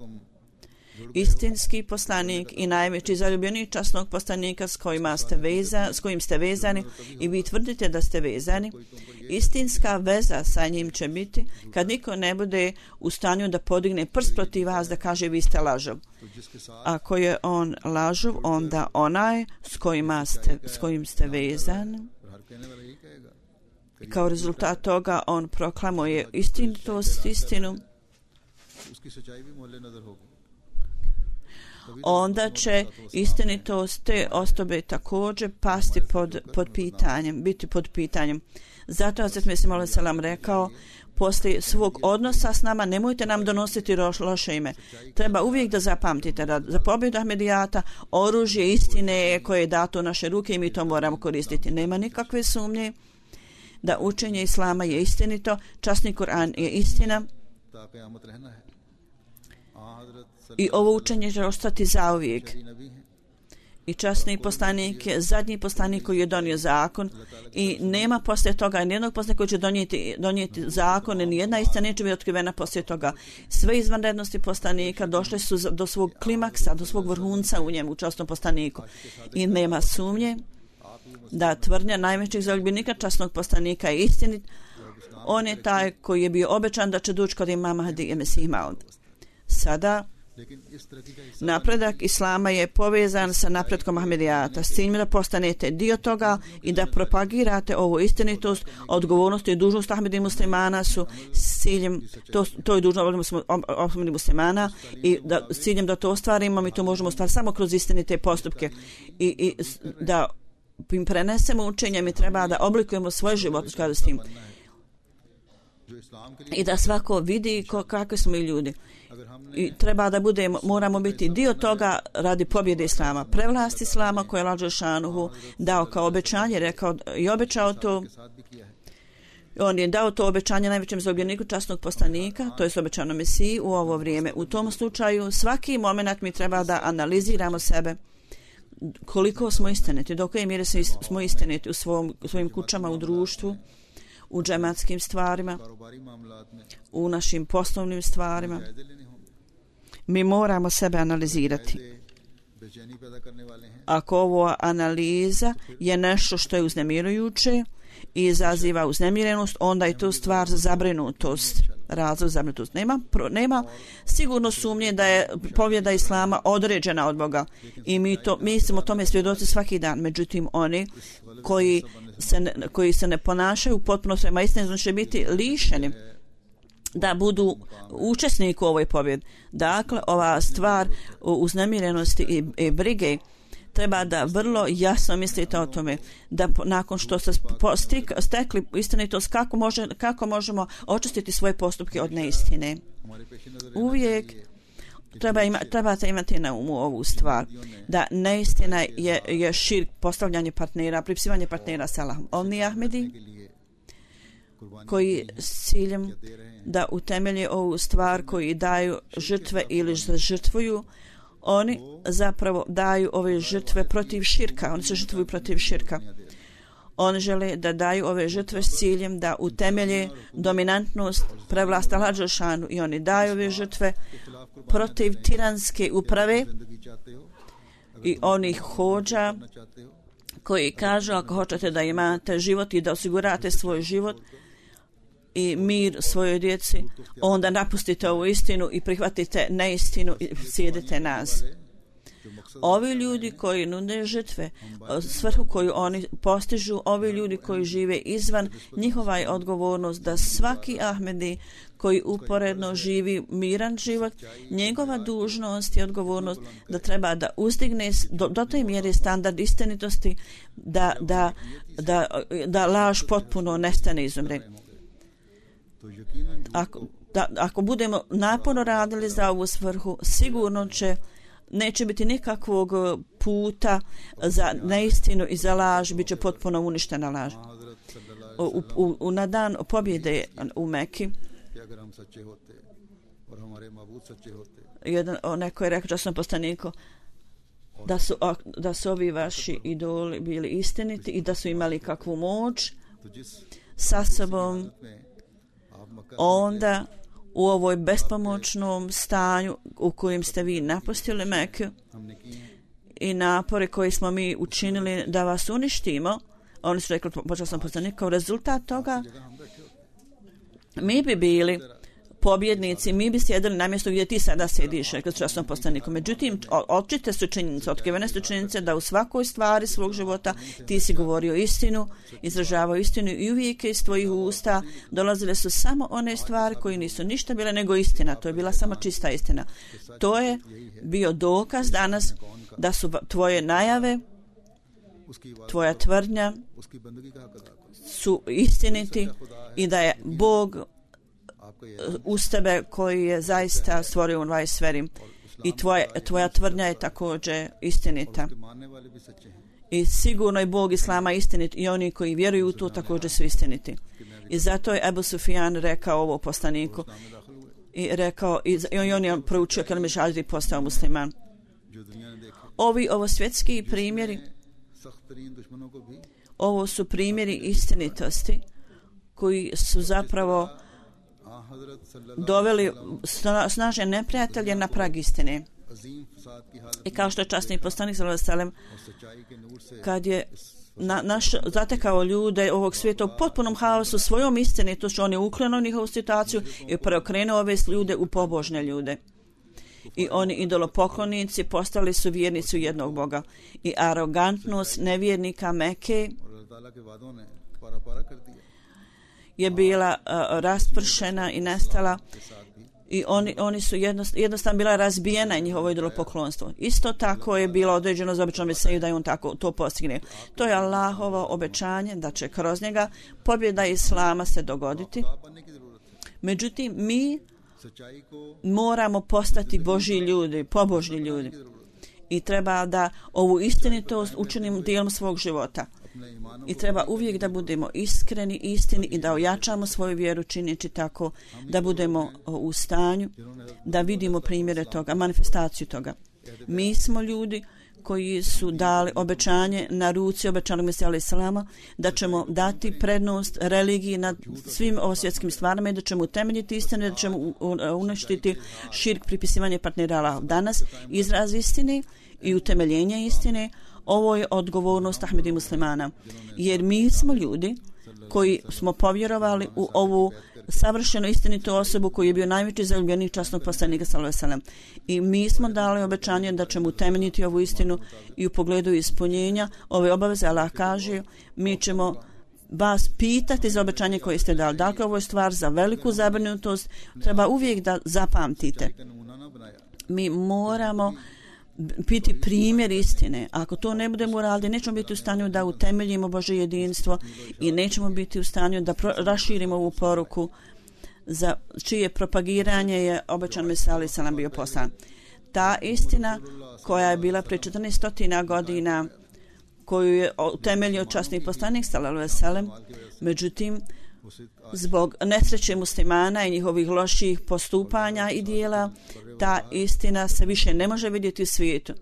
Istinski poslanik i najveći zaljubljeni časnog poslanika s kojim ste vezani i vi tvrdite da ste vezani, istinska veza sa njim će biti kad niko ne bude u stanju da podigne prst protiv vas da kaže vi ste lažov. Ako je on lažov, onda onaj s kojim ste vezani, kao rezultat toga on proklamuje istinitost, istinu, onda će istinitost te osobe također pasti pod pitanjem, biti pod pitanjem. Zato Hazret Mesih alejhi selam rekao, poslije svog odnosa s nama nemojte nam donositi loše ime. Treba uvijek da zapamtite da za pobjedu Ahmedijata oružje istine koje je dato u naše ruke i mi to moramo koristiti. Nema nikakve sumnje da učenje Islama je istinito, časni Kur'an je istina i ovo učenje će ostati zauvijek. I časni poslanik je zadnji poslanik koji je donio zakon i nema poslije toga nijednog poslanika koji će donijeti zakon i nijedna istina neće biti otkrivena poslije toga. Sve izvanrednosti poslanika došle su do svog klimaksa, do svog vrhunca u njemu, u časnom poslaniku. I nema sumnje da tvrdnja najvećih zaljubljenika časnog poslanika je istinit. On je taj koji je bio obećan da će doći kod imama Mahdi i Mesih Maud. Sada napredak Islama je povezan sa napretkom Ahmedijata s ciljem da postanete dio toga i da propagirate ovu istinitost. Odgovornost i dužnost Ahmedi muslimana su s ciljem, to je dužnost Ahmedi muslimana i s ciljem da to ostvarimo, mi to možemo ostvariti samo kroz istinite postupke i da im prenesemo učenje, mi treba da oblikujemo svoj život u skladu s tim i da svako vidi kakvi smo i ljudi. I treba da moramo biti dio toga radi pobjede Islama. Prevlast Islama koje je Allah dželešanohu dao kao obećanje, rekao i obećao to. On je dao to obećanje najvećem zaljubljeniku časnog poslanika, to je obećano Mesiji u ovo vrijeme. U tom slučaju svaki moment mi treba da analiziramo sebe koliko smo istiniti, do koje mjere smo istiniti u svojim kućama, u društvu, u džematskim stvarima, u našim poslovnim stvarima. Mi moramo sebe analizirati. Ako ovo analiza je nešto što je uznemirujuće i izaziva uznemirenost, onda je to stvar za zabrinutost. Razlog za zabrinutost. Nema sigurno sumnje da je pobjeda Islama određena od Boga i mi smo tome svjedoci svaki dan. Međutim, oni koji se ne ponašaju potpuno svema istine će biti lišeni da budu učesnici u ovoj pobjedi. Dakle, ova stvar uznemirenosti i brige treba da vrlo jasno mislite o tome da nakon što ste stekli istinitost kako možemo očistiti svoje postupke od neistine. Uvijek trebate imati na umu ovu stvar da neistina je širk, postavljanje partnera, pripisivanje partnera s Allahom. Oni Ahmedi koji s ciljem da utemelje ovu stvar, koji daju žrtve ili žrtvuju, oni zapravo daju ove žrtve protiv širka. Oni se žrtvuju protiv širka. Oni žele da daju ove žrtve s ciljem da utemelje dominantnost prevlasta Allah dželešanu i oni daju ove žrtve protiv tiranske uprave i onih hođa koji kažu ako hoćete da imate život i da osigurate svoj život i mir svojoj djeci, onda napustite ovu istinu i prihvatite neistinu i slijedite nas. Ovi ljudi koji nude žrtve, svrhu koju oni postižu, ovi ljudi koji žive izvan, njihova je odgovornost da svaki Ahmedi koji uporedno živi miran život, njegova dužnost i odgovornost da treba da uzdigne do te mjere standard istinitosti da laž potpuno nestane, izumre. Ako budemo naporno radili za ovu svrhu, sigurno neće biti nikakvog puta za neistinu i za laž, bit će potpuno uništena laž. Na dan pobjede u Meki, neko je rekao časnom poslaniku, da su ovi vaši idoli bili istiniti i da su imali kakvu moć sa sobom, onda u ovoj bespomoćnom stanju u kojem ste vi napustili Meku i napore koje smo mi učinili da vas uništimo, oni su rekli, počeo sam poslanik, kao rezultat toga mi bi bili pobjednici, mi bi sjedili na mjestu gdje ti sada sediš, rekli su časnom poslaniku. Međutim, očite su činjenice, otkrivene su činjenice da u svakoj stvari svog života ti si govorio istinu, izražavao istinu i uvijek iz tvojih usta dolazile su samo one stvari koje nisu ništa bile nego istina. To je bila samo čista istina. To je bio dokaz danas da su tvoje najave, tvoja tvrdnja su istiniti i da je Bog uz tebe koji je zaista stvorio u ovoj sferi i tvoja tvrdnja je također istinita. I sigurno je Bog Islama istinit i oni koji vjeruju u to također su istiniti. I zato je Ebu Sufjan rekao ovo poslaniku i rekao i on je proučio kelime šahade i postao musliman. Ovo svjetski primjeri, ovo su primjeri istinitosti koji su zapravo doveli snažne neprijatelje na prag istine. I kao što je časni poslanik sallallahu alejhi ve sellem kad je zatekao ljude ovog svijeta u potpunom haosu svojom istinitošću, on je ukrenuo njihovu situaciju i preokrenuo ove ljude u pobožne ljude. I oni idolopoklonici postali su vjernici u jednog Boga. I arogantnost nevjernika Mekke je bila raspršena i nestala i oni su jednostavno bila razbijena njihovo idolopoklonstvo. Isto tako je bilo određeno za običnom Mesiju da je on tako to postigne. To je Allahovo obećanje da će kroz njega pobjeda Islama se dogoditi. Međutim, mi moramo postati Božji ljudi, pobožni ljudi i treba da ovu istinitost učinimo dijelom svog života. I treba uvijek da budemo iskreni, istini i da ojačamo svoju vjeru činjeći tako da budemo u stanju da vidimo primjere toga, manifestaciju toga. Mi smo ljudi koji su dali obećanje na ruci obećanog Mesija alejhi selama da ćemo dati prednost religiji nad svim svjetskim stvarima i da ćemo utemeljiti istinu, da ćemo uništiti širk, pripisivanje partnera Allahu. Danas izraz istine i utemeljenje istine, ovo je odgovornost Ahmedi muslimana, jer mi smo ljudi koji smo povjerovali u ovu savršeno istinitu osobu koji je bio najveći zaljubljenik časnog poslanika sallallahu alejhi ve sellem. I mi smo dali obećanje da ćemo utemeljiti ovu istinu i u pogledu ispunjenja ove obaveze. Allah kaže, mi ćemo vas pitati za obećanje koje ste dali. Dakle, ovo je stvar za veliku zabrinutost. Treba uvijek da zapamtite. Mi moramo biti primjer istine. Ako to ne budemo uradili, nećemo biti u stanju da utemeljimo Božje jedinstvo i nećemo biti u stanju da raširimo ovu poruku za čije propagiranje je obećan Mesija alejhi selam bio poslan. Ta istina koja je bila pre 1400 godina, koju je utemeljio časni poslanik sallallahu alejhi ve sellem, međutim zbog nesreće muslimana i njihovih loših postupanja i dijela, ta istina se više ne može vidjeti u svijetu.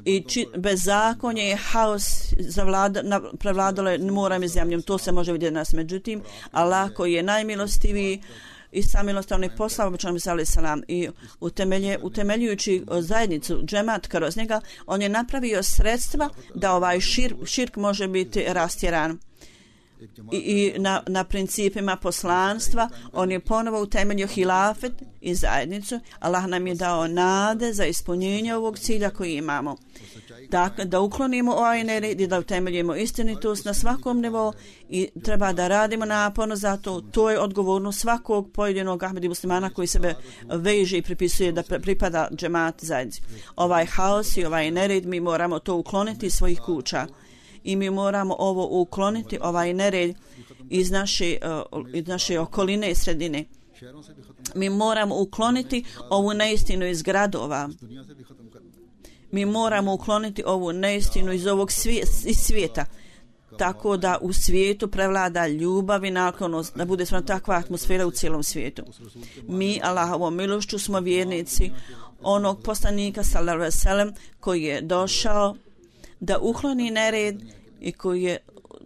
I bezakonje i haos prevladalo je morem i zemljom. To se može vidjeti nas. Međutim, Allah koji je najmilostiviji i samilostivni poslao obećanog Mesija alejhi selam i utemeljujući zajednicu džemat kroz njega, on je napravio sredstva da ovaj širk može biti rastjeran. I na principima poslanstva on je ponovo utemeljio hilafet i zajednicu. Allah nam je dao nade za ispunjenje ovog cilja koji imamo. Dakle, da uklonimo ovaj nered i da utemeljimo istinitost na svakom nivou i treba da radimo naporno za to. To je odgovornost svakog pojedinog Ahmedi muslimana koji sebe veže i pripisuje da pripada džemat zajednici. Ovaj haos i ovaj nered mi moramo to ukloniti iz svojih kuća. I mi moramo ovo ukloniti, ovaj nered iz naše okoline i sredine. Mi moramo ukloniti ovu neistinu iz gradova. Mi moramo ukloniti ovu neistinu iz ovog svijeta. Tako da u svijetu prevlada ljubav i naklonost, da bude stvarno takva atmosfera u cijelom svijetu. Mi, Allahovom milošću, smo vjernici onog poslanika sallallahu alejhi ve sellem koji je došao da ukloni nered i koji je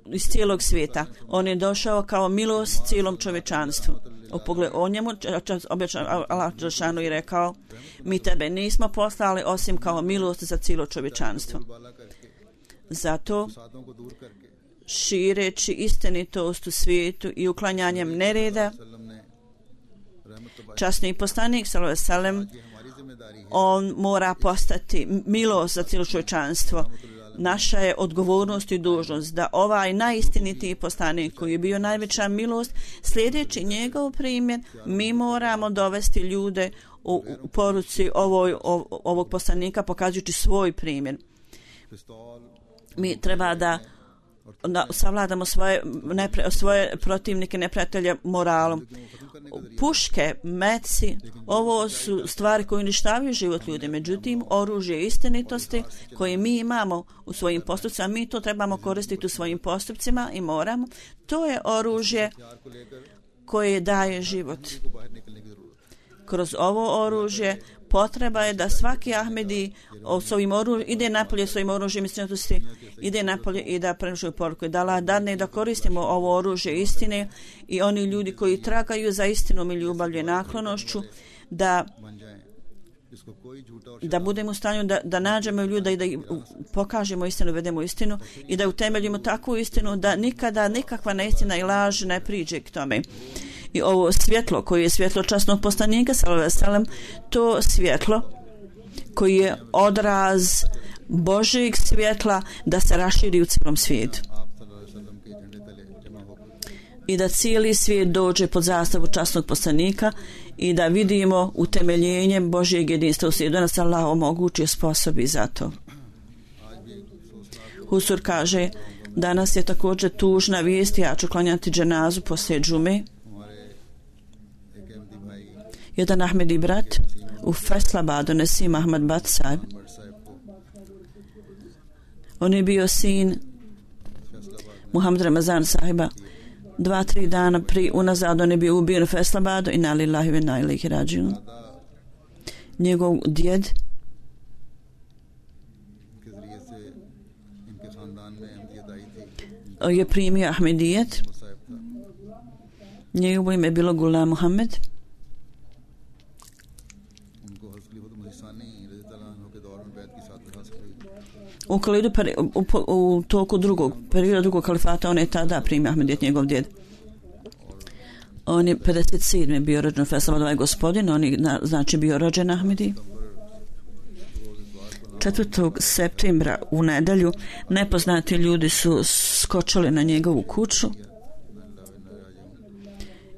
iz cijelog svijeta. On je došao kao milost cijelom čovječanstvu. U pogledu o njemu Allah dželešanu je rekao: mi tebe nismo poslali osim kao milost za cijelo čovječanstvo. Zato šireći istinitost u svijetu i uklanjanjem nereda, časni poslanik sallallahu alejhi ve sellem, on mora postati milost za cijelo čovječanstvo. Naša je odgovornost i dužnost da ovaj najistinitiji poslanik koji je bio najveća milost, sljedeći njegov primjer, mi moramo dovesti ljude u poruci ovog poslanika pokazujući svoj primjer. Mi treba da savladamo svoje protivnike, neprijatelje moralom. Puške, meci, ovo su stvari koje uništavaju život ljudi. Međutim, oružje istinitosti koje mi imamo u svojim postupcima, mi to trebamo koristiti u svojim postupcima i moramo. To je oružje koje daje život. Kroz ovo oružje potreba je da svaki Ahmedi ide napolje svojim oružjem istinitosti, ide napolje i da prenosi poruku. Da Allah dadne da koristimo ovo oružje istine i oni ljudi koji tragaju za istinom i ljubavlju i naklonošću, da budemo u stanju da nađemo ljude i da pokažemo istinu, vedemo istinu i da utemeljimo takvu istinu da nikada nikakva neistina i laž ne priđe k tome. I ovo svjetlo koje je svjetlo časnog poslanika sallallahu alejhi ve sellem, to svjetlo koji je odraz Božjeg svjetla da se raširi u cijelom svijetu i da cijeli svijet dođe pod zastavu časnog poslanika i da vidimo utemeljenje Božjeg jedinstva u svijetu. Da nas Allah omogući sposobi za to. Husur kaže: danas je također tužna vijest, ja ću klanjati dženazu poslije džume. Jedan Ahmedi brat u Faisalabadu, Nasim Ahmad Bhat Sahib, on je bio sin Muhammed Ramazan sahiba. 2-3 dana unazad on je bio ubijen u Faisalabadu. Inna lillahi wa inna ilaihi rađiun. Njegov djed je primio Ahmedijet. Njegovo ime je bilo Gulam Muhammed. U toku drugog kalifata on je tada primio Ahmedijet, njegov djed. On je 57. bio rođen u Faisalabadu, ovaj gospodin, on je znači bio rođen Ahmedi. 4. septembra u nedjelju nepoznati ljudi su skočili na njegovu kuću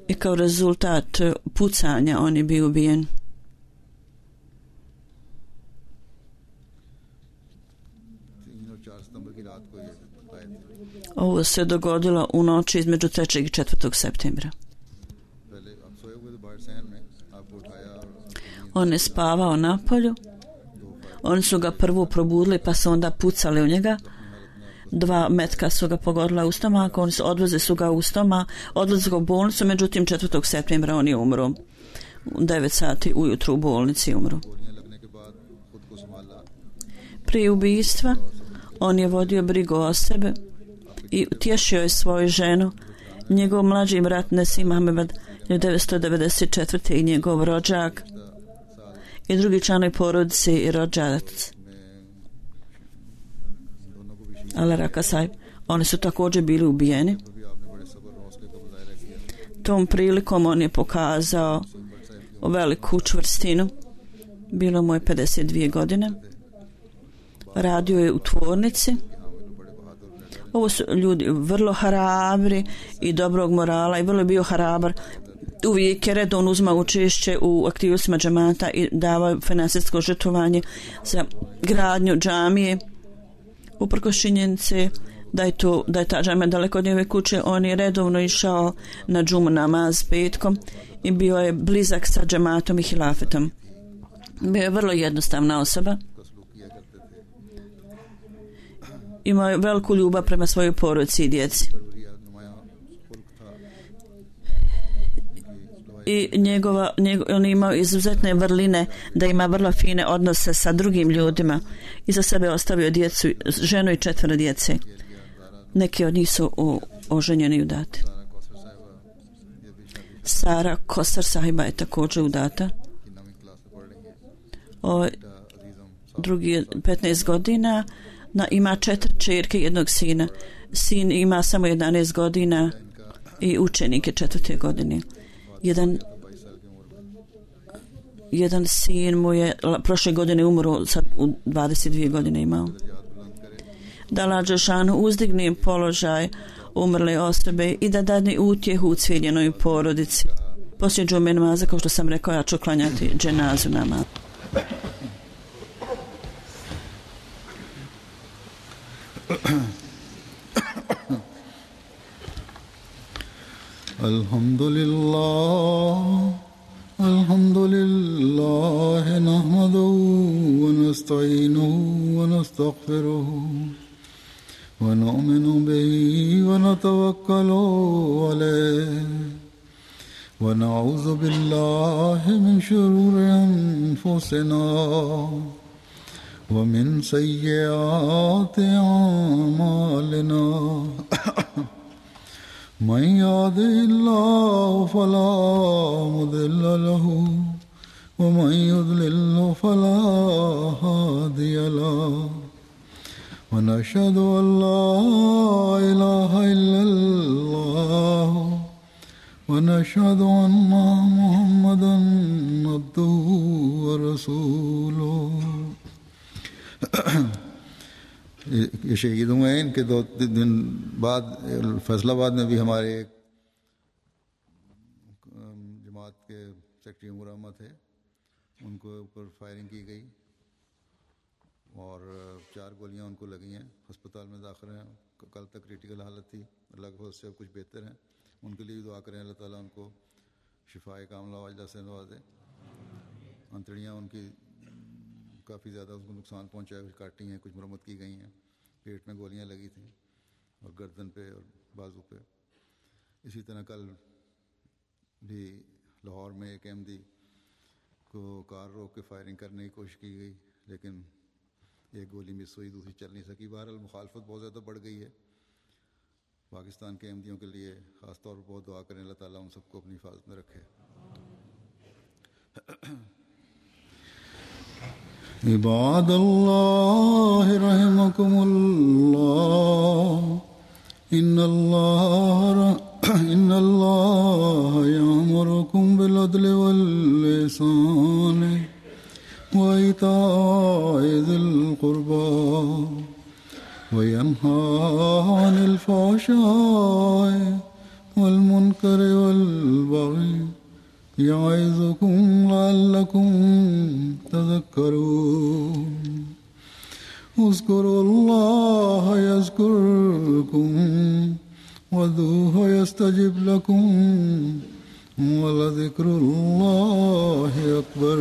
i kao rezultat pucanja on je bio ubijen. Ovo se dogodilo u noći između 3. i 4. septembra. On je spavao na polju. Oni su ga prvo probudili pa su onda pucali u njega. 2 metka su ga pogodila u stomak. Oni su odvezli ga u bolnicu. Međutim 4. septembra on je umro. U 9 sati ujutru u bolnici umro. Prije ubijstva on je vodio brigu o sebe i tješio je svoju ženu. Njegov mlađi brat Nasim Ahmed 1994. i njegov rođak i drugi članovi porodice i rođac Alaraka Sahib, oni su također bili ubijeni. Tom prilikom on je pokazao veliku čvrstinu. Bilo mu je 52 godine. Radio je u tvornici. Ovo su ljudi vrlo hrabri i dobrog morala i vrlo je bio hrabar. Uvijek je redovno uzmao učešće u aktivnostima džemata i davao finansijsko žrtvovanje za gradnju džamije. Uprkos činjenice da je ta džamija daleko od njegove kuće, on je redovno išao na džumu namaz petkom i bio je blizak sa džematom i hilafetom. Bio je vrlo jednostavna osoba. Imao je veliku ljubav prema svojoj porodici i djeci. i on imao izuzetne vrline, da ima vrlo fine odnose sa drugim ljudima. Iza sebe ostavio djecu, ženu i 4 djece. Neki od njih su oženjeni i udati. Sara Kosar sahiba je također udata. Drugi je 15 godina, ima 4 čerke i 1 sina. Sin ima samo 11 godina i učenik je 4. godine. Jedan sin mu je prošle godine umro, sad u 22 godine imao. Da Allah dželešanu uzdigne položaj umrle osobe i da dadne utjehu u cijeljenoj porodici. Poslije džume namaza, kao što sam rekao, ja ću klanjati dženazu namaz. Alhamdulillah nahmaduhu wa nasta'inuhu wa nastaghfiruhu wa nu'minu bihi wa natawakkalu alayhi wa na'udhu billahi min shururi anfusina wa min sayyiati a'malina. من يهده الله فلا مضل له ومن يضلل فلا هادي له ونشهد أن لا إله إلا الله ونشهد أن محمدا عبده ورسوله. ये शहीद हुए हैं, इनके 2 दिन बाद फैसलाबाद में भी हमारे एक जमात के सेक्रेटरी उमर अहमद थे, उनको ऊपर फायरिंग की गई और 4 गोलियां उनको लगी हैं, अस्पताल में दाखिल हैं। कल तक क्रिटिकल हालत थी, अल्लाह के फजल से अब कुछ बेहतर हैं। उनके लिए भी दुआ करें, अल्लाह ताला उनको शिफाए कामला वाजला से नवाजे। अंतड़ियाँ उनकी काफ़ी ज़्यादा उसको नुकसान पहुंचा है, काटी हैं, कुछ मरम्मत की गई हैं। पेट में गोलियां लगी थी और गर्दन पे और बाजू पे। इसी तरह कल भी लाहौर में एक अहमदी को कार रोक के फायरिंग करने की कोशिश की गई, लेकिन एक गोली मिस हुई, दूसरी चल नहीं सकी। बहरहाल मुखालफत बहुत ज़्यादा बढ़ गई है। पाकिस्तान के अहमदियों के लिए ख़ास तौर पर बहुत दुआ करें, अल्लाह ताला उन सबको अपनी हिफाजत में रखे। इबादल्लाह रहमकुमुल्लाह इन्नल्लाह यअमुरुकुम बिल अदलि वल इहसानि व इताइ ज़िल क़ुर्बा व यन्हा अनिल फ़हशाइ वल मुनकरि वल बग़ि यअज़ुकुम लअल्लकुम तज़क्करून। उज़्कुरुल्लाह यज़्कुरुकुम वदूहु यस्तजिब लकुम वलज़िक्रुल्लाहि अकबर।